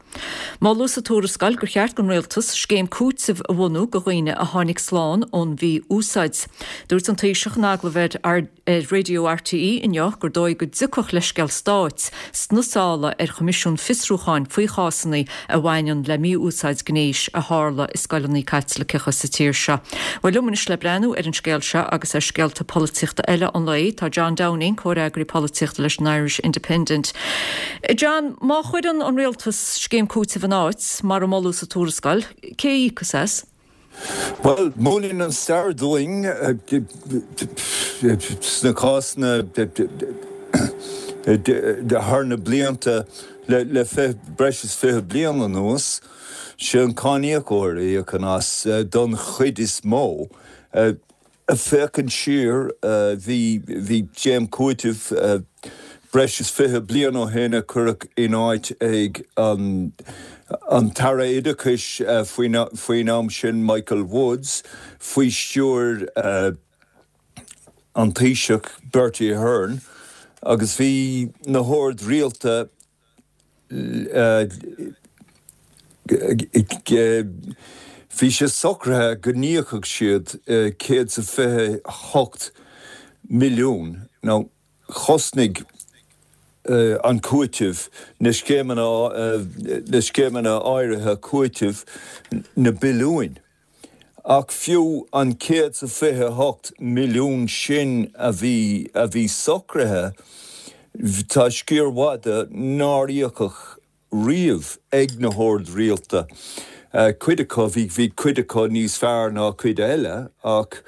Moladh sa tuarascáil gur cheart don rialtas scéim cúitimh a bhunú do dhaoine a tháinig slán ón mhí-úsáid. Dúirt an Taoiseach in agallamh ar. Ar Raidió RTÉ inniu gur dóigh go dtiocfadh leithscéal stáit sna sála ar choimisiún fiosrúcháin faoi chásanna a bhaineann le mí-úsáid gnéis a tharla i scoileanna Caitliceacha sa tír seo. Bhuel, liom anois le breathnú ar an scéal seo agus ar scéalta polaitíochta eile an lae, tá John Downing, comhfhreagraí polaitíochta leis an Irish Independent. John, má chuireann an rialtas scéim cúitimh in áit, mar a moladh sa tuarascáil, cé a íocfas as? Bhuel, múineann an stair dúinn sna cásanna thar na blianta le breis is 20 bliain anuas, sé an cáiníocóir a íocann as don chuid is mó. Ag féachaint siar, bhí bhí scéim cúitimh breis is 20 bliain ó shin a cuireadh in áit ag an an tAire Oideachais faoin faoin am sin, Michael Woods, faoi stiúir an Taoiseach Bertie Ahern agus bhí na hoird rialta Bhí sé socraithe go n-íocfadh siad 128 milliún. Now, chosnaigh an cúiteamh, na scéimeanna, na scéimeanna áirithe cúitimh, na billiúin. Ach fiú an 128 milliún sin a bhí a bhí socraithe, tá sciar mhaith de nár íocadh riamh ag na hoird rialta. Cuid acu, bhí bhí cuid acu níos fearr ná cuid eile ach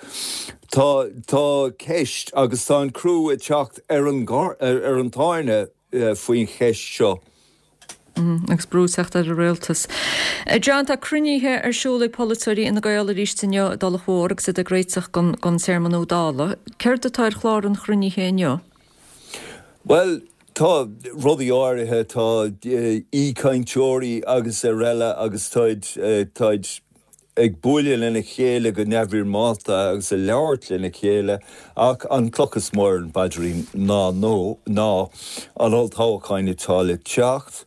tá tá ceist agus tá an crú ag teacht ar an ar an tairne faoin cheist seo. Agus brú ag teacht ar an rialtas. John, tá cruinnithe ar siúl ag polaiteoirí Fhine Gael arís inniu i dTulach Mhór agus iad ag réiteach don téarma nua Dála. Céard atá ar chlár an chruinnithe inniu? Bhuel, tá rudaí áirithe, tá aoichainteoirí agus araile agus táid, táid ag bualadh lena chéile go neamhfhoirmeálta agus ag labhairt lena chéile ach an cloch is mó ar an bpaidrín ná nó ná an olltoghchán atá le teacht.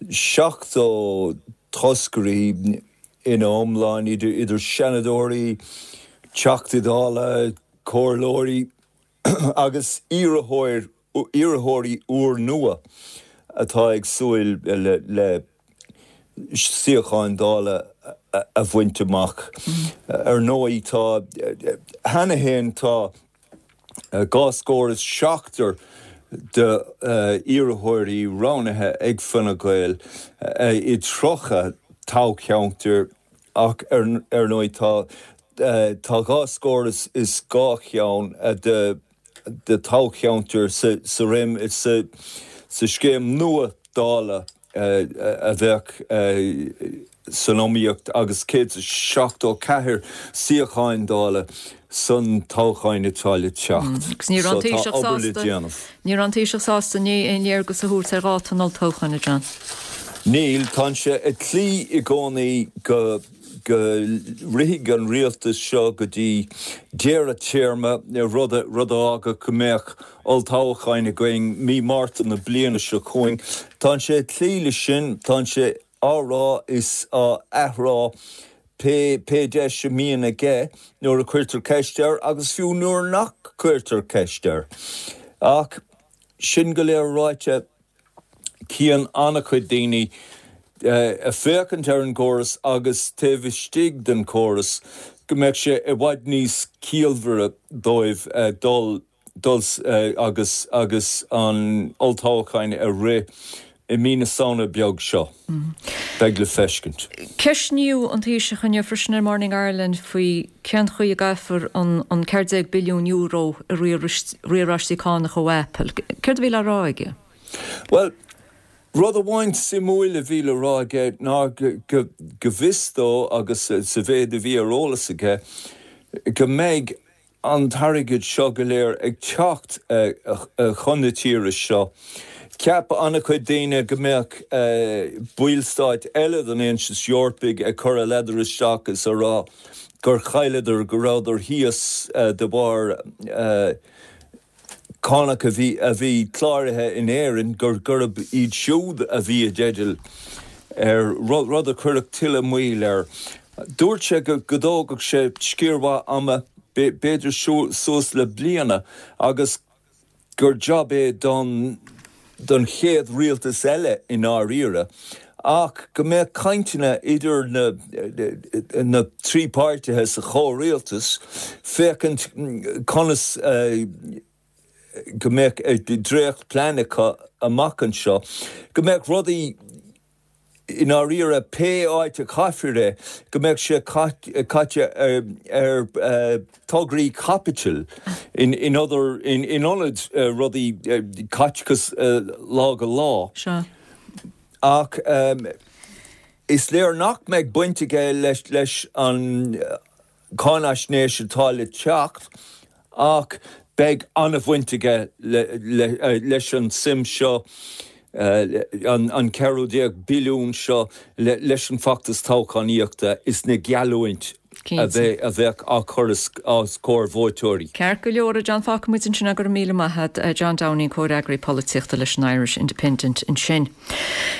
70 toscairí ina iomlán, idir Seanadóirí, Teachtaí Dála, Comhairleoirí agus iarrthóir iarrthóirí úrnua atá ag súil le suíocháin Dála a bhaint amach. Ar ndóigh, tá, cheana féin tá dhá scór is seachtar d'iarrthóirí roghnaithe ag Fine Gael i 30 toghcheantar ach ar ndóigh tá tá dhá scór is dhá cheann de de toghcheantair sa réim sa scéim nua Dála a bheadh san iomaíocht agus 174 suíocháin Dála san toghcháin atá le teacht. Agus ní raibh an So tá Taoiseach obair le sásta déanamh. Ní raibh an Taoiseach sásta inné aon léargas a thabhairt ar dháta an olltoghcháin, a John. Níl, tá sé ag cloí i gcónaí go. go rithfidh an rialtas seo go dtí deireadh téarma, rud a fhágfadh go mbeadh olltoghcháin againn mí Márta na bliana seo chugainn. Tá sé ag cloí leis sin, tá sé á rá is á athrá pé pé deis a mbíonn aige nuair a cuirtear ceist air agus fiú nuair nach cuirtear ceist air. Ach sin go léir ráite, Cíonn an-chuid daoine, ag féachaint ar an gcóras agus taobh istigh den chóras, go mbeadh sé i bhfad níos ciallmhaire dóibh dul dul agus agus an olltoghchán a rith i mí na Samhna beag seo. Beidh le feiscint. Ceistníodh an Taoiseach inniu freisin ar Morning Ireland faoi cén chaoi a gcaithfear an €14 billiún i riaráistí cánach ó Apple. Céard a bhí le rá aige? Bhuel, rud amháin suimiúil a bhí le rá aige ná go bhfios dó agus sa mhéid a bhí ar eolas aige go mbeidh an t-airgead seo go léir ag teacht chun na tíre seo. Cheap an-chuid daoine go mbeadh ballstáit eile den Aontas Eorpaigh ag cur a ladar isteach is a rá gur chailleadar, go rabhadar thíos de bharr cánach a bhí a bhí cláraithe in Éirinn gur gurb iad siúd a bhí i dteideal ar rud a chuirfeadh tuilleadh moill air. Dúirt sé go go dtógfadh sé sciar mhaith ama. b'fhéidir suas le bliana agus gur jab é don don chéad rialtas eile i ndáiríre ach go mbeadh cainteanna idir na na 3 páirtithe sa chomhrialtas féachaint conas go mbeadh dréacht plean acu amach anseo, go mbeadh rudaí i ndáiríre pé áit a chaithfear é, go mbeadh sé caite ar tograí caipitil in ionad rudaí caiteachas lá go lá. Ach is léir nach mbeidh baint aige leis an cáinaisnéis atá le teacht ach beidh an-bhaint aige leis an suim seo, an 14ú billiún seo, leis an bhfeachtas toghchánaíochta is na geallúint a bheadh á cur os comhair vótóirí. Ceart go leor, a John, fágfaidh muid ansin é, go raibh míle maith agat. John Downing, Comhfhreagraí Polaitíochta leis an Irish Independent ansin.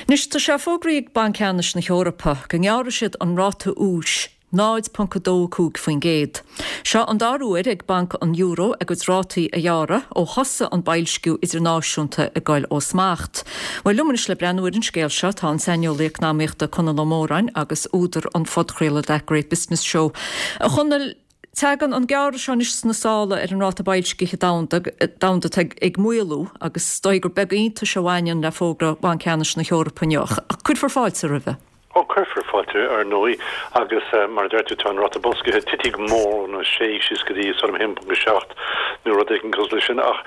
Anois, tá sé fógraithe ag Banc Ceannais na hEorpa go ngearrfaidh siad an ráta úis 0.25%. Seo an dara huair ag Banc an Euro a gcuid rátaí a ghearradh ó thosaigh an boilsciú idirnáisiúnta ag goil ó smacht. Bhuel, liom anois le breathnú ar an scéal seo tá an saineolaí eacnamaíochta Conall Ó Móráin agus údar an phodchraoladh That Great Business Show. A Chonaill, tagann an gearradh seo anois sna sála ar an ráta boilscithe domhanda domhanda atá ag maolú agus is dóigh gur beag iontais a bhaineann le fógra Bhanc Ceannais na hEorpa inniu. Ach cuirfear fáilte roimhe. Ó, cuirfear fáilte, ar ndóigh, agus mar a deir tú, tá an ráta boilscithe titithe go mór ón 6 síos go dtí sort of 1.7 nó rud éigin cosúil leis sin, ach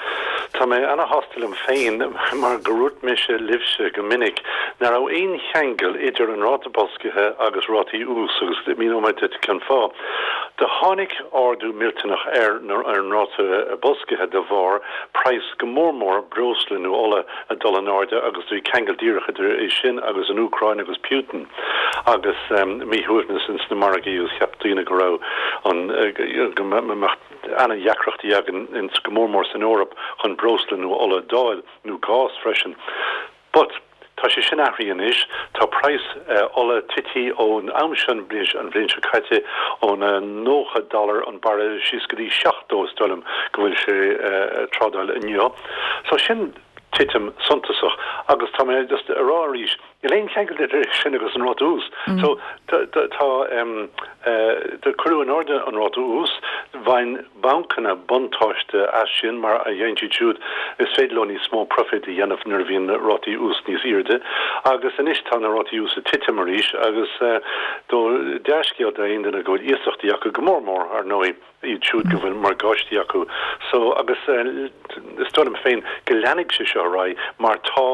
tá mé ana-shásta liom féin mar gur dhúirt mise libhse go minic nach raibh aon cheangal idir an ráta boilscithe agus rátaí ús agus míneoidh mé duit cén fáth. Do tháinig ardú millteanach ar an ráta boilscithe de bharr praghas go mór mór breosla nó ola ag dul in airde agus do bhí ceangal díreach idir é sin agus an Úcráin agus Putin agus míshuaimhneas ins na margaí agus cheap daoine go raibh an go mbeadh ana-dheacrachtaí againn ins go mór mór san Eoraip chun breosla nó ola d'fháil nó gás freisin. But tá sé sin athraithe anois, tá praghas ola tití ón am sin an bhliain seo caite ón 90 dollar an barra síos go dtí 70 is dóigh liom go bhfuil sé ag trádáil inniu. So sin titim suntasach agus tá mé just a rá arís, níl aon cheangal idir é sin agus an ráta ús. So tá do cuireadh in airde an ráta ús, bhain bancanna buntáiste as sin mar a dhéanann siad siúd, is féidir leo níos mó profit a dhéanamh nuair a bhíonn rátaí ús níos airde agus anois tá na rátaí ús ag titim arís agus do dea-scéal d'aon duine go bhfuil iasachtaí acu go mór mór ar ndóigh. iad siúd go bhfuil morgáistí acu so agus is dóigh liom féin go leanfaidh sé seo ar aghaidh mar tá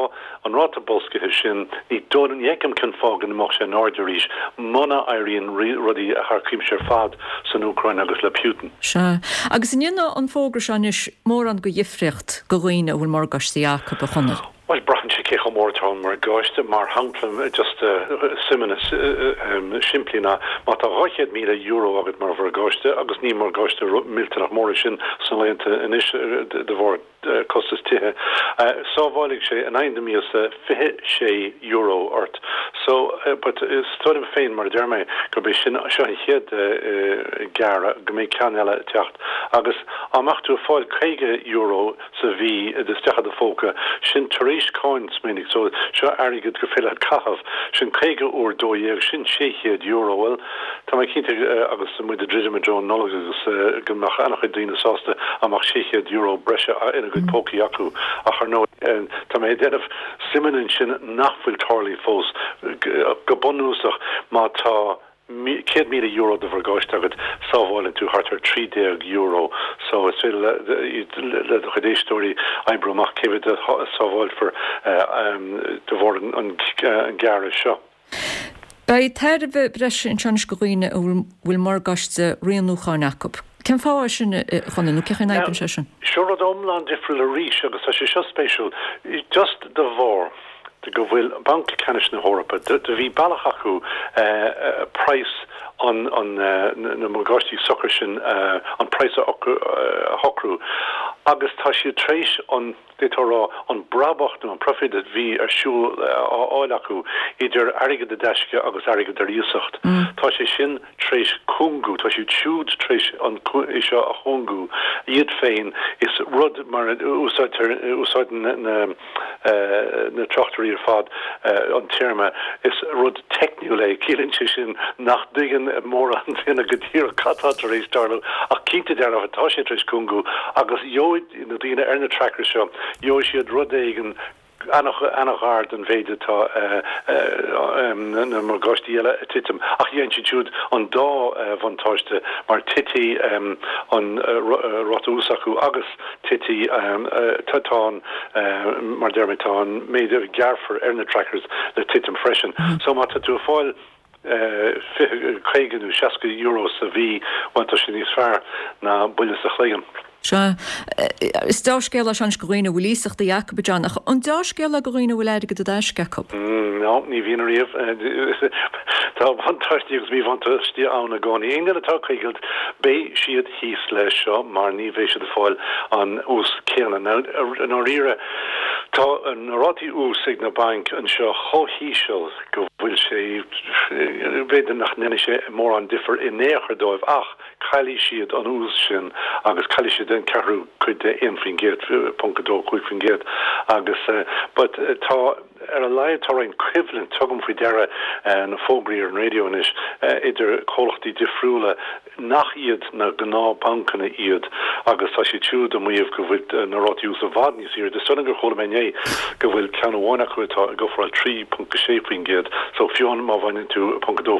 an ráta boilscithe sin, ní dóigh liom, ní fheicim cén fáth go n-imeodh sé in airde arís muna éiríonn rudaí thar cuimse ar fad san Úcráin agus le Putin. Sea. Agus an ndéanfaidh an fógra seo anois mórán de dhifríocht do dhaoine a bhfuil morgáistí acu, a Chonaill? Bhuel, braitheann sé cé chomh mór atá an morgáiste. Mar shampla, just suimeanna simplí ná má tá €200,000 agat mar mhorgáiste, agus ní morgáiste millteanach mór é sin sna laethanta anois de bharr costas tithe, sábhálfaidh sé in aghaidh na míosa €26 ort. So, but is dóigh liom féin, mar a deir mé, gurb é sin, seo an chéad gearradh, go mbeidh ceann eile ag teacht. Agus dá mbeadh tú ag fáil €50 sa mhí isteach i do phóca, sin tar éis cáin, smaoinigh, so seo airgead gur féidir leat caitheamh, sin 50 uair 12, sin €600, bhuel, tá mé cinnte agus muid ag druidim i dtreo an Nollag agus go mbeadh an-chuid daoine sásta dá mbeadh €600 breise ina gcuid pócaí acu ach ar ndóigh tá mé ag déanamh suimeanna ansin nach bhfuil tarlaithe fós, go bunúsach má tá. €100,000 de mhorgáiste agat, sábháileann tú thart ar €13. So is féidir le do chuid éisteoirí oibriú amach cé mhéad a sábháilfear de bharr an gearradh seo. Beidh tairbhe breise anseo anois do dhaoine a bhfuil morgáiste rianúcháin acu. Cén fáth é sin, a Chonaill, nó cén chaoi a n-oibríonn sé sin? Seo rud iomlán difriúil arís agus tá sé seo spéisiúil. Just de bharr. go bhfuil Banc Ceannais na hEorpa, do bhí bealach acu praghas an na morgáistí sochair sin, an praghas a shocrú. Agus tá siad tar éis an, d'fhéadfá a rá, an brabach nó an profit a bhí ar siúl, á fháil acu idir airgead i dtaisce agus airgead ar iasacht, tá sé sin tar éis cúngú, tá siad siúd tar éis an, é seo a chúngú iad féin. Is rud mar a úsáidtear, úsáideann na, na tráchtairí ar fad an téarma, is rud teicniúil é, ciallaíonn sé sin nach dtuigeann mórán duine go díreach cad tá tar éis tarlú, ach cinnte dearfa tá sé tar éis cúngú agus gheobhaidh na daoine ar na trackers seo, gheobhaidh siad rud éigin an-ghar don mhéid atá na morgáistí eile ag titim, ach gheobhaidh siad siúd an dá bhuntáiste mar titfidh an ráta úis acu agus titfidh, tá an, mar a deir mé, tá an méid a ghearrfar ar na trackers le titim freisin. So má tá tú ag fáil 20, 50 nó 60 euro sa mhí, bhuel tá sé níos fearr ná buille sa chloigeann. Sea. Is deá-scéal é seo anois do dhaoine a bhfuil iasachtaí acu, a John, ach an deá-scéal é do dhaoine a bhfuil airgead i dtaisce acu? No, ní bhíonn ariamh. Tá buntáistí agus míbhuntáistí ann i gcónaí. Aon duine atá ag coigilt, beidh siad thíos leis seo mar ní bheidh siad ag fáil an ús céanna. Now, i ndáiríre, tá na rátaí ús ag na bainc anseo chomh híseal go bhfuil sé, b'fhéidir nach ndéanfaidh sé mórán difear in aon chor dóibh ach caillfidh siad an ús sin agus caillfidh siad an ceathrú cuid de 1%, ponc 25% agus but tá, Ar a laghad tá roinnt coimhlint, tugaim faoi deara na fógraí ar an raidió anois, idir comhlachtaí difriúla nach iad na gnáthbhancanna iad agus tá siad siúd ag maíomh go bhfuil na rátaí ús i bhfad níos airde. Is dóigh liom gur chuala mé inné go bhfuil ceann amháin acu atá ag ofráil 3.6% so fiú má bhaineann tú ponc 2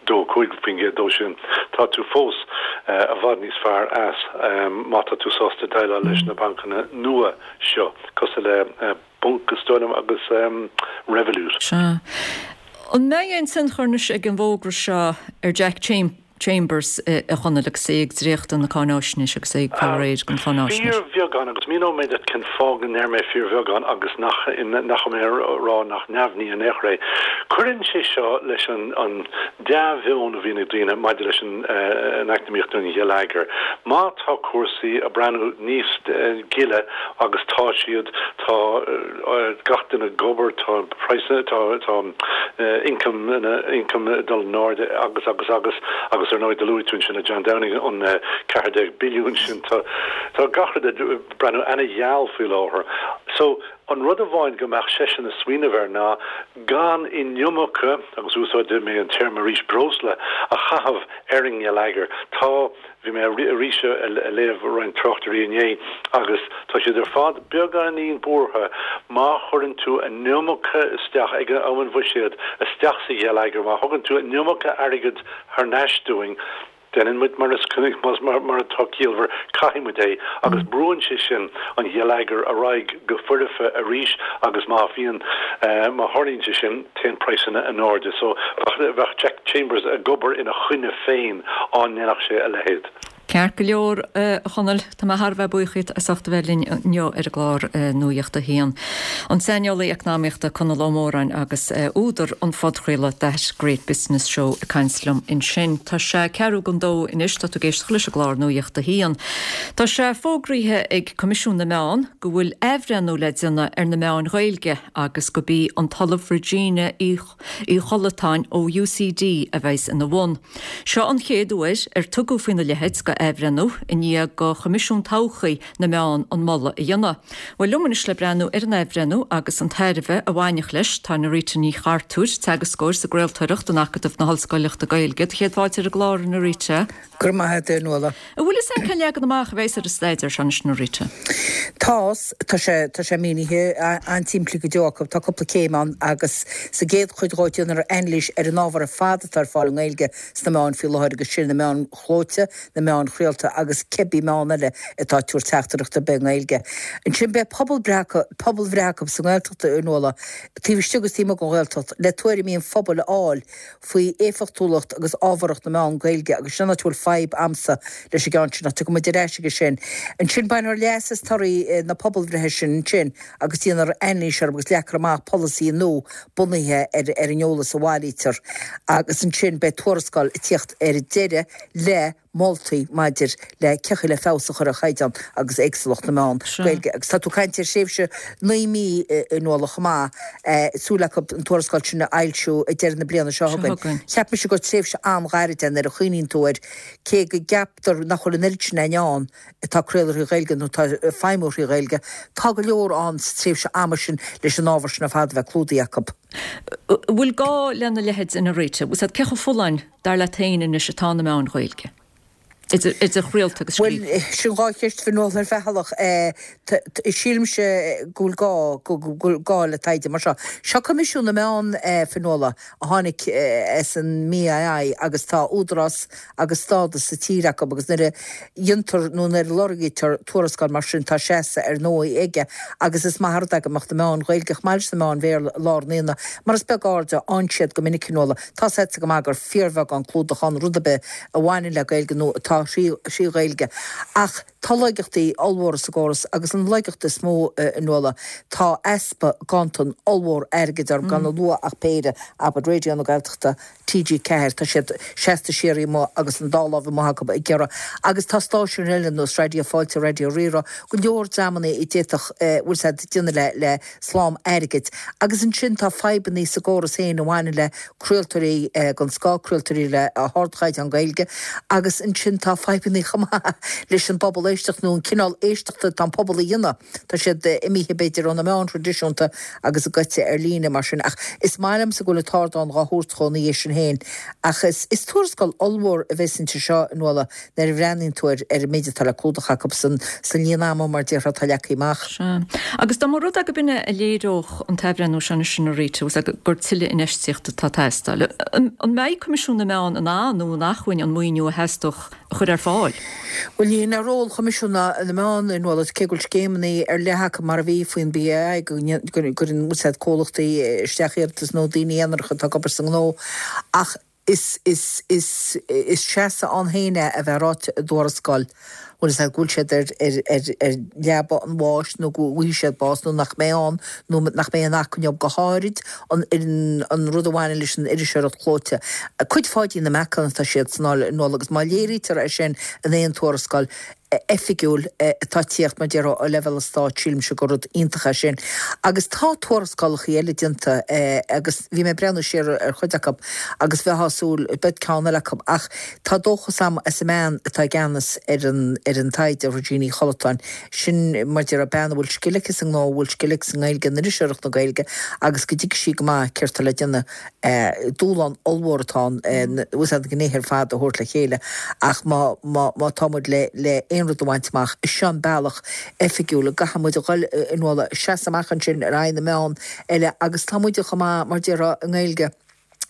5% dó sin, tá tú fós i bhfad níos fearr as má tá tú sásta déileáil leis na bancanna nua seo cosúil le Bunq is dóigh liom agus Revolut. Sea. An mbeidh aon tionchar anois ag an bhfógra seo ar Jack Chambers, a Chonaill, agus é ag dréachtadh na cáináisnéise agus é ag fáil réidh don cháináisnéis? Fíorbheagán, agus míneoidh mé duit cén fáth go ndeir mé fíorbheagán agus nach nach bhfuil mé ag rá nach neamhní in aon chor é. Cuireann sé seo leis an dea-mheon a bhíonn ag daoine maidir leis an eacnamaíocht nó an gheilleagar. Má tá cúrsaí ag breathnú níos gile, agus tá siad, tá gach duine ag obair, tá praghsanna, tá, tá income, income ag dul in airde agus, agus, agus, agus ar ndóigh do luaigh tú ansin le John Downing an 14 billiún sin, tá, tá gach rud ag breathnú ana-gheal faoi láthair. So, an rud amháin go mbeadh seisean ag smaoineamh air ná gan an iomarca, agus úsáidfidh mé an téarma arís, breosla a chaitheamh ar an ngeilleagar. Tá. Bhí mé arís ag léamh roinnt tráchtairí inné agus tá siad ar fad beagáinín buartha má chuireann tú an iomarca isteach ag am an bhuiséid isteach sa gheilleagar, má thugann tú an iomarca airgid thar n-ais dúinn, déanann muid mar is mar atá ciallmhar, caithfidh muid é agus brúann sé sin an gheilleagar ar aghaidh go foirfe arís agus má bhíonn, má tharlaíonn sé sin, téann praghsanna in airde. So bheadh Jack Chambers ag obair ina choinne féin dá ndéanfadh sé a leithéid. Ceart go leor, a Chonaill, tá mé thar a bheith buíoch díot as ucht a bheith linn inniu ar an gclár Nuacht a hAon. An saineolaí eacnamaíochta Conall Ó Móráin agus údar an phodchraoladh That Great Business Show ag caint liom ansin. Tá sé ceathrú don dó anois, tá tú ag éisteacht leis an gclár Nuacht a hAon. Tá sé fógraithe ag Coimisiún na Meán go bhfuil athbhreithniú le déanamh ar na meáin Ghaeilge agus gurb í an tOllamh Regina Uí Uí Chollatáin ó UCD a bheas ina bhun. Seo an chéad uair ar tugadh faoina leithéid de athbhreithniú i ndiaidh do Choimisiún Todhchaí na Meán an moladh a dhéanamh. Bhuel, liom anois le breathnú ar an athbhreithniú agus an tairbhe a bhainfeadh leis, tá Norita Ní Chartúir, teagascóir sa gcraoltóireacht in Acadamh na hOllscoileachta Gaeilge. Do chéad fáilte ar an gclár, a Norita. Go raibh maith agat, a Nuala. An bhfuil fhios a'inn cén leagan amach a bheas ar an staidéar seo anois, Norita? Tá, tá sé, tá sé mínithe an-tsimplí go deo acu. Tá cúpla céim ann agus sa gcéad chuid dhó déanfar anailís ar an ábhar ar fad atá ar fáil i nGaeilge sna meáin faoi láthair agus sin na meáin chlóite, na meáin chraolta agus cibé meán eile atá ag tabhairt teachtaireacht ar bith i nGaeilge. Ansin beidh pobalbhreith acu, pobalbhreith acu sa nGaeltacht, a Nuala, taobh istigh agus taobh amuigh den Ghaeltacht, le tuairimí an phobail a fháil faoi éifeachtúlacht agus ábharthacht na meán Gaeilge agus sin an áit a bhfuil fadhb a'msa leis an gceann sin ach tiocfaidh muid ar ais aige sin. Ansin bainfear leas as torthaí na pobalbhreithe sin ansin agus déanfar anailís orthu agus leagfar amach polasaí nua bunaithe ar ar an eolas a bhailítear agus ansin beidh tuarascáil ag tíocht ar deireadh le. Moltaí maidir le cén chaoi le feabhas a chur ar chaighdeán agus éagsúlacht na meán Gaeilge. Agus tá tú ag caint ar thréimhse 9 mí a Nuala chomh maith, súil acu an tuarascáil sin a fhoilsiú ag deireadh na bliana seo chugainn. Cheap mise gur tréimhse an-ghairid é nuair a chuimhníonn tú air, cé go gceaptar nach bhfuil an oiread sin againn ann atá ag craoladh thrí Ghaeilge nó atá ag feidhmiú thrí Ghaeilge, tá go leor ann sa tréimhse ama sin leis an ábhar sin ar fad a bheith clúdaithe acu. An bhfuil gá lena leithéid a Rita? Cé chomh folláin dar leat féin anois atá na meáin Ghaeilge, idir chraolta agus Bhuel, scríofa? sin dhá cheist a Fhionnuala ar bhealach. Sílimse go bhfuil gá, go bhfuil gá le taighde mar seo. Seo Coimisiún na Meán, a Fhionnuala, a tháinig as an mBAI agus tá údarás agus stádas sa tír acu agus nuair a dhéantar nó nuair a lorgaítear tuarascáil mar sin tá seasamh ar ndóigh aige agus is maith an rud é go mbeadh na meáin Ghaeilge chomh maith leis na meáin Bhéarla i lár an aonaigh mar is beag aird a fhaigheann siad go minic a Fhionnuala. Tá 's agatsa go maith gur fíorbheagán clúdach ann rud ar bith a bhaineann le Gaeilge nó atá thrí Ghaeilge. Ach tá laigeachtaí ollmhóra sa gcóras agus an laigeacht is mó, a Nuala, tá easpa ganntan ollmhór airgid orthu, gan a lua ach péire, abair, Raidió na Gaeltachta, TG4, tá siad seasta siar amuigh agus an dá lámh amuigh acu ag iarraidh. Agus tá stáisiúin eile ar nós Raidió Fáilte, Raidió Rí-Rá, go leor dreamanna a d'fhéadfadh, bhfuil 's a'd, déanamh le, le slám airgid. Agus ansin tá fadhbanna sa gcóras féin a bhaineann le craoltóirí den scoth, craoltóirí le hardchaighdeán Gaeilge agus ansin tá fadhbanna chomh maith leis an bpobal éisteachta nó an cineál éisteachta atá an pobal a dhéanamh. Tá siad imithe b'fhéidir ó na meáin thraidisiúnta agus gaibhte ar líne mar sin. Ach is maith liomsa go bhfuil an t-ardán dhá thabhairt dhó ina dhiaidh sin féin. Ach is tuarascáil ollmhór a bheas inti seo, a Nuala, nuair a bhreathnaíonn tú ar ar an méid atá le clúdach acu san líon ama mar déarfá atá leagtha amach. Sea. Agus dá mba rud é go b'in é a léireodh an t-athbhreithniú seo anois a Rita, bhfuil 's a'd gur tuilleadh infheistíochta atá ag teastáil, an mbeidh Coimisiún na Meán in ann nó in acmhainn an maoiniú a theastódh a chur ar fáil? Bhuel, ní hin é ról Choimisiún na Meán, a Nuala, cé go bhfuil scéimeanna ar leith acu mar a bhí faoin BAI go gcuireann, bhfuil 's a'd, comhlachtaí isteach iarratas nó daoine aonaracha atá ag obair sa ngnó ach Is, is, is, is seasamh ann féin é a bheith ráite i dtuarascáil, bhfuil 'fhios a'd, go bhfuil siad ar, ar, ar, ar leaba an bháis nó go bhfaighidh siad bás nó nach mbeidh ann nó nach mbeidh an acmhainn acu, go háirid an, an rud a bhaineann leis an iriseoireacht chlóite. Cuid Pháidín na meacan atá siad san áil, a Nuala, agus má léirítear é sin in aon tuarascáil, oifigiúil atá ag tíocht, mar déarfá, ó leibhéal an stáit, sílimse gur rud iontach é sin. Agus tá tuarascálacha eile déanta agus bhí mé ag breathnú siar ar chuid acu agus bheifeá ag súil, beidh ceann eile acu ach tá dóchas a'm as an mbean atá i gceannas ar an ar an taighde, Regina Uí Chollatáin. Sin, mar déarfá, bean a bhfuil scil aici sa ngnó, a bhfuil scil aici sa nGaeilge, in iriseoireacht na Gaeilge agus go dtuigfidh sí go maith céard atá le déanamh. Dúshlán ollmhór atá ann, bhfuil 's a'd, na gnéithe ar fad a thabhairt le chéile ach má, má, má tá muid le, le aon rud a bhaint amach, is seo an bealach oifigiúil a gcaithfidh muid a dhul, a Nuala, seasamh amach ansin ar aghaidh na meán eile agus tá muide chomh maith, mar déarfá, i nGaeilge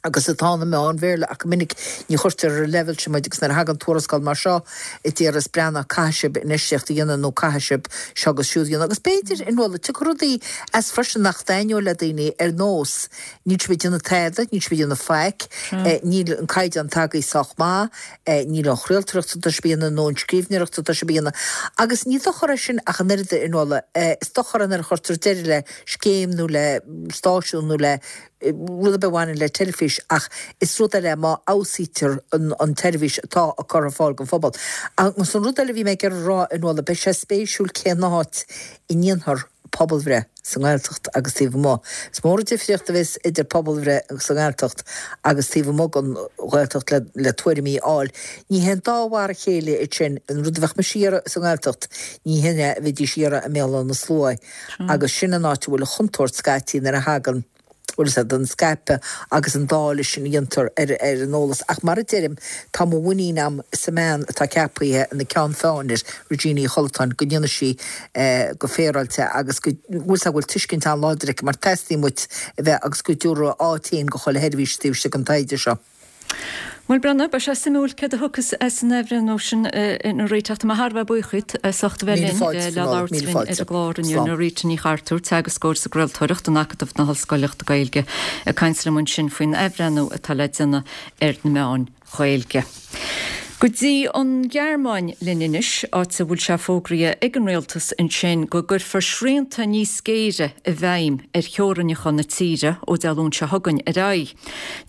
agus atá na meáin Bhéarla ach go minic ní chuirtear ar an leibhéal sin muid agus nuair a thagann tuarascáil mar seo a déarfas breathnaigh caithfidh sibh infheistíocht a dhéanamh nó caithfidh sibh seo agus siúd a dhéanamh agus b'fhéidir, a Nuala, tiocfaidh rudaí as freisin nach dtaitneoidh le daoine ar nós Níl sibh ag déanamh tada, níl sibh ag déanamh faic, níl an caighdeán tagaithe sách maith, níl an chraoltóireacht atá sibh a dhéanamh nó an scríbhneoireacht atá sibh a dhéanamh. Agus ní dochar é sin ach an oiread, a Nuala. Is dochar é nuair a chuirtear deireadh le scéim nó le stáisiún nó le rud ar bith a bhaineann le teilifís ach is rud eile é má fheabhsaítear an tseirbhís atá á cur ar fáil don phobal. Agus an rud eile a bhí mé ag iarraidh a rá, a Nuala, beidh sé spéisiúil cén áit a ndéanfar pobalbhreith sa nGaeltacht agus taobh amuigh. Is mór an difríocht a bheas idir pobalbhreith sa nGaeltacht agus taobh amuigh den Ghaeltacht le tuairimí a fháil. Ní haon dá mhar a chéile iad sin. An rud a bheadh mise a iarraidh sa nGaeltacht, ní hin é a bheidís a iarraidh i mBéal Átha na Sluaighe. Agus sin an áit a bhfuil an chontúirt scaití nuair a thagann. bhfuil 'fhios a'd, an scaipeadh agus an dáileadh sin a dhéantar ar an eolas. Ach mar a deirim, tá mo mhuinín a'm sa mbean atá ceapaithe ina ceann feadhain air, Regina Uí Chollatáin, go ndéanfaidh sí go féaráilte agus go bhfuil 'fhios a'd, go bhfuil tuiscint an-láidir aici mar teastaíonn uait a bheith agus go dtabharfaidh a áit féin go chuile sheirbhís taobh istigh den taighde seo. Bhuel, Brenna, beidh sé suimiúil céard a thiocfas as an athbhreithniú sin a Rita. Tá mé thar a bheith buíoch díot as ucht a bheith Míle linn fáilte, le Fionnuala, labhairt míle linn ar fáilte. an gclár inniu. Slán. Rita Ní Chartúir, teagascóir sa gcraoltóireacht in Acadamh na hOllscoileachta Gaeilge, ag caint liom ansin faoin athbhreithniú atá le déanamh ar na meáin Ghaeilge. Go dtí an Ghearmáin linn anois, áit a bhfuil sé fógraithe ag an rialtas ansin go gcuirfear srianta níos géire i bhfeidhm ar theorainneacha na tíre ó Dé Luain seo chugainn ar aghaidh.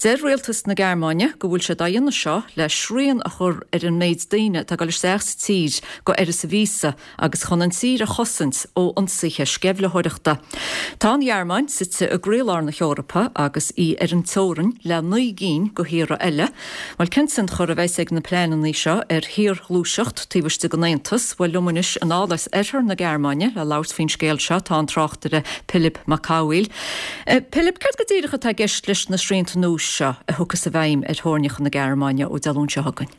Deir rialtas na Gearmáine go bhfuil siad á dhéanamh seo le srian a chur ar an méid daoine atá ag dul isteach sa tír go uireasa víosa agus chun an tír a chosaint ó ionsaithe sceimhlitheoireachta. Tá an Ghearmáin suite i gcroílár na hEorpa agus í ar an teorainn le 9 gcinn de thíortha eile. Bhuel, cén tionchar a bheas ag na pleananna seo ar shaorghluaiseacht taobh istigh den Aontas? Bhuel, liom anois anall as oirthear na Gearmáine le labhairt faoin scéal seo tá an tráchtaire Pilib Mac Cathmhaoil. Pilib, céard go díreach atá i gceist leis na srianta nua seo a thiocfas i bhfeidhm ar theorainneacha na Gearmáine ó Dé Luain seo chugainn?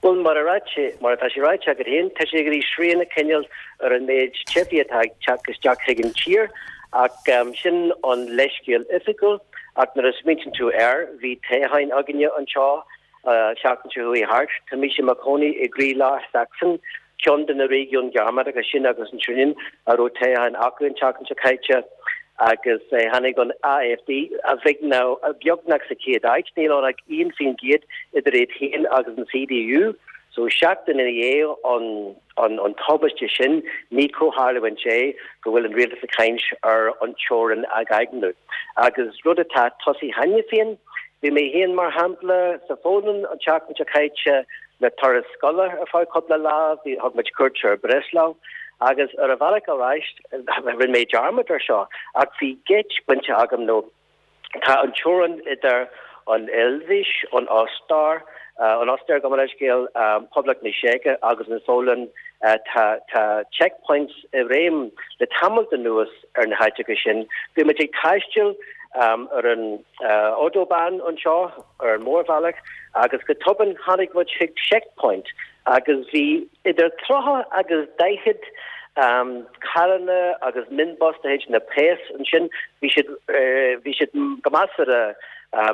Bhuel, mar a ráite, mar atá sé ráite agat féin, tá sé ag iarraidh srian a choinneáil ar an méid teifigh atá ag teacht isteach chuig an tír, ach sin an leithscéal oifigiúil. Ach nuair a smaointíonn tú air, bhí toghcháin againne anseo an tseachtain seo chuaigh thart. Tá mise i mo chónaí i gcroílár Sachsen, ceann de na réigiúin Ghearmánacha sin agus ansin a raibh toghcháin acu an tseachtain seo caite agus tháinig an AfD a beagnach sa chéad áit, níl ann ach 1% idir iad féin agus an CDU. So seachtain ina dhiaidh an an tubaiste sin, ní comhtharlúint é go bhfuil an rialtas ag caint ar an teorainn a dhaingniú. Agus rud atá tosaithe cheana féin, bhí mé féin mar shampla sa Pholainn an tseachtain seo caite, Le turas scoile ar feadh cúpla lá, bhí, thug muid cuairt ar Breslau agus ar an bhealach ar ais, rinne mé dearmad ar seo, ach bhí geit bainte agam nó tá an teorainn idir an Eilvéis, an Ostair, an Ostair gabh mo leithscéal, Poblacht na Seice agus an Pholainn, tá, tá checkpoints i réim le tamalt anuas ar na háiteacha sin. Bhí muid ag taisteal ar an Autobahn anseo, ar an mórbhealach agus go tobann tháinig muid chuig checkpoint agus bhí idir 30 agus 40 carranna agus minibus de chuid na bpéas ansin. Bhí siad bhí siad go measartha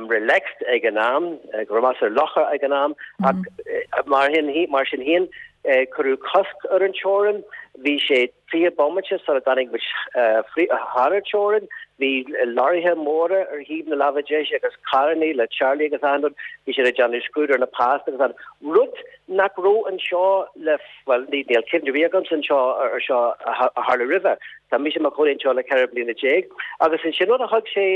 relaxed ag an am, go measartha lofa ag an am ach mar mar sin féin cuireadh cosc ar an teorainn. Bhí sé 20 bomaite sula dtáinig muid thar an teorainn. Bhí leoraithe móra ar thaobh na láimhe deise agus carrannaí le teaghlaigh agus achan rud. Bhí siad ag déanamh scrúdú ar na pas agus an rud nach raibh anseo le, bhuel, ní, níl cuimhne ar bith agamsa anseo ar seo a tharla roimhe. Tá mise i mo chónaí anseo le 14 bliana agus ansin rud a thug sé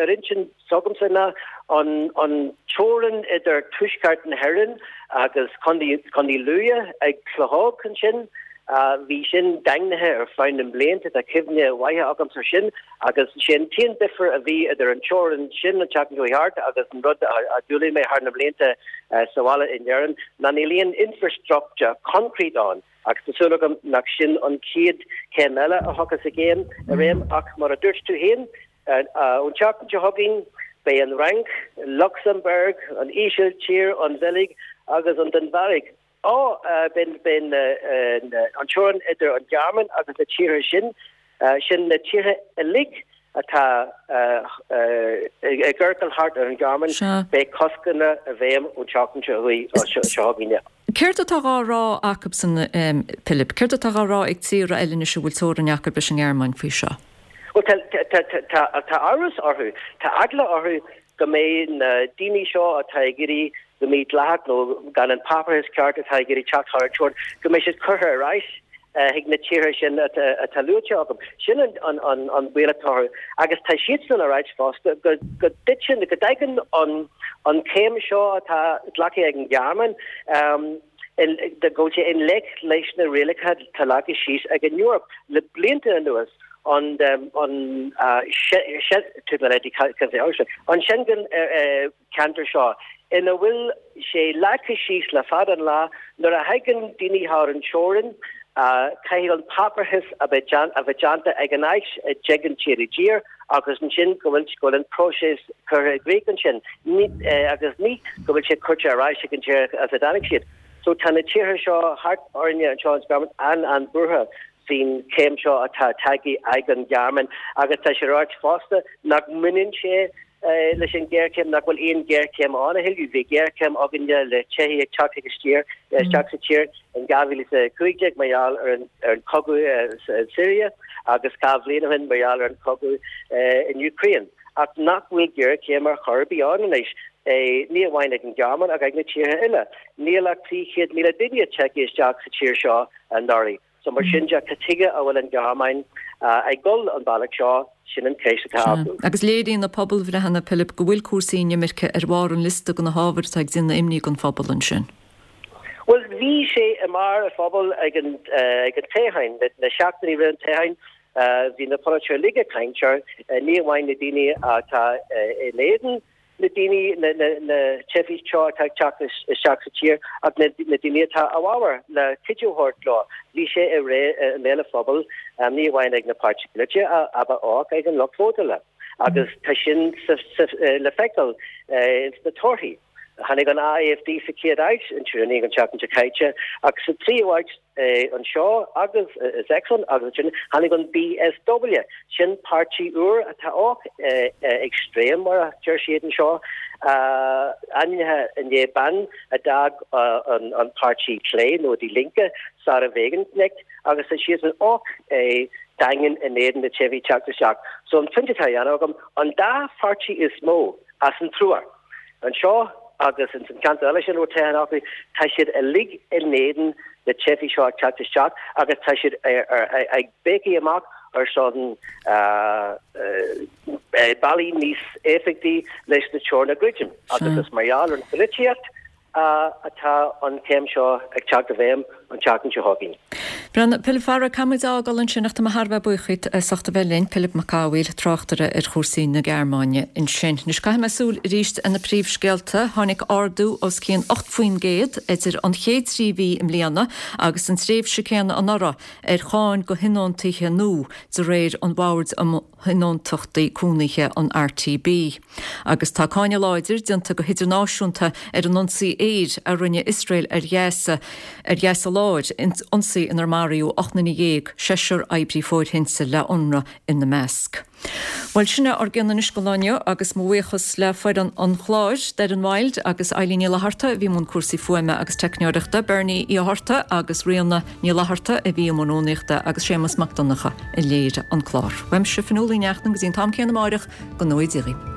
ar intinn s'agamsa ná an an teorainn idir tuaisceart na hÉireann agus Contae Contae Lú ag Clochóg ansin. Bhí sin daingnithe ar feadh na mblianta, tá cuimhne mhaith agamsa ar sin agus sé an t-aon difear a bhí idir an teorainn sin an tseachtain seo thart agus an rud a d'fhoghlaim mé thar na mblianta sa bhaile in Éirinn ná níl aon infrastructure concrete ann agus tá súil agam nach sin an chéad chéim eile a thiocfas i gcéim i réim ach mar a dúirt tú féin Ón tseachtain seo chugainn, beidh an Fhrainc, Lucsamburg, an Ísiltír, an Bheilg agus an Danmhairg á beidh an teorainn idir an Ghearmáin agus na tíortha sin, sin na tíortha uilig atá i gciorcal thart ar an Ghearmáin, beidh coscanna i bhfeidhm ón tseachtain seo chugainn. Céard atá dhá rá acubsan, Pilib? Céard atá dhá rá ag tíortha eile anois a bhfuil teorainn acu leis an nGearmáin faoi seo? Bhuel, tá amhras orthu, tá eagla orthu go mbeidh na daoine seo atá ag iarraidh go mídhleathach nó gan an páipéarachas ceart atá ag iarraidh teacht thar an teorainn, go mbeidh siad curtha ar ais chuig na tíortha sin atá luaite agam. Sin an baol atá orthu. Agus tá siadsan ag ráit fosta go dtiteann, go dtagann an chéim seo atá glactha ag an Ghearmáin, go bhfuil sé i ngleic leis na rialacha atá leagtha síos ag an Eoraip le blianta anuas, an Schengen ceantar seo, ina bhfuil sé leagtha síos le fada an lá, nuair a thagann daoine thar an teorainn, caithfidh an páipéarachas a bheith déanta ag an áit a dtagann siad i dtír agus ansin go bhfuil an próiseas curtha i gcrích ansin agus ní go bhfuil siad curtha ar ais ag an tír as a dtáinig siad. So tá na tíortha seo thart orainne anseo in Ghearmáin an-an-bhuartha faoin chéim seo atá tagtha ag an Ghearmáin agus tá sé ráite fosta nach mbaineann sé leis an ghéarchéim, nach bhfuil aon ghéarchéim ann a thuilleadh. Bhí géarchéim againne le teifigh ag teacht chuig isteach sa tír in 2015 mar gheall ar an chogadh sa Siria agus 2 bhliain ó shin mar gheall ar an chogadh in Ukraine. Ach nach bhfuil géarchéim ar chor ar bith ann anois. Ní amháin ag an Ghearmáin ach ag na tíortha eile. Níl ach 300,000 duine tagtha isteach sa tír seo anuraidh. So mar sin de, cad chuige a bhfuil an Ghearmáin ag dul an bealach seo, sin an cheist atá acu. Agus léiríonn na pobalbhreitheanna, Pilib, go bhfuil cúrsaí inimirce ar bharr an liosta de na hábhair atá ag déanamh imní don phobal ansin. Bhuel, bhí sé i mbarr an phobail ag an toghchán, na seachtainí roimh an toghchán, bhí na polaiteoirí uilig ag caint air, ní amháin na daoine atá in éadan na daoine, na teifigh seo atá ag teacht isteach sa tír ach na daoine atá i bhfabhar le cuidiú a thabhairt leo. Bhí sé i mbéal an phobail, ní amháin ag na páirtithe polaitiúla ach ag an lucht vótála agus tá sin le feiceáil ins na torthaí. Tháinig an AfD sa chéad áit in Thuringia an tseachtain seo caite ach sa tríú háit anseo agus i Sachsen agus ansin tháinig an BSW, sin páirtí úr atá och extrem mar a deir siad anseo, ainmnithe i ndiaidh bean a d'fhág an páirtí clé nó Die Linke, Sahra Wagenknecht agus tá siadsan och daingean in éadan na teifigh teacht isteach. So an pointe atá á dhéanamh agam, an dá pháirtí is mó as an triúr, Anseo agus ins an cheantar eile sin a raibh toghchán acu, tá siad uilig in éadan na teifigh seo ag teacht isteach agus tá siad ag béicigh amach ar son bealaí níos éifeachtaí leis na teorainn a dhruidim. Agus is mar gheall ar an pholaitíocht atá an chéim seo ag teacht i bhfeidhm an tseachtain seo chugainn. Bhuel, Pilib, a chara, caithfidh muid a fhágáil ansin ach tá mé thar a bheith buíoch díot as ucht a bheith linn, Pilib Mac Cathmhaoil, tráchtaire ar chúrsaí na Gearmáine ansin. Anois caithfidh mé súil arís ar na príomhscéalta. Tháinig ardú os cionn 8% idir an chéad 3 mhí i mbliana agus an tréimhse céanna anuraidh ar cháin do thionóntaithe nua de réir an Bhoird um Thionóntachtaí Cónaithe, an RTB. Agus tá cáineadh láidir déanta go hidirnáisiúnta ar an ionsaí aeir a rinne Iosrael ar Ghaza, ar Ghaza Láir, ionsaí inar maraíodh 18 nduine, seisear oibrí fóirthinte le Unrwa ina measc. Bhuel, sin é ár gcion anois don lá inniu agus mo bhuíochas le foireann an chláir, Doireann Wilde agus Eileen Ní Fhlatharta a bhí i mbun cúrsaí fuaime agus teicneoireachta, Bernie Uí Fhátharta agus Ríona Ní Fhlatharta a bhí i mbun rúnaíochta agus Séamus Mac Donncha a léirigh an clár. Uaimse, Fionnuala Ní Neachtain, go dtí an t-am céanna amáireach, go ngnóthaí Dia dhaoibh.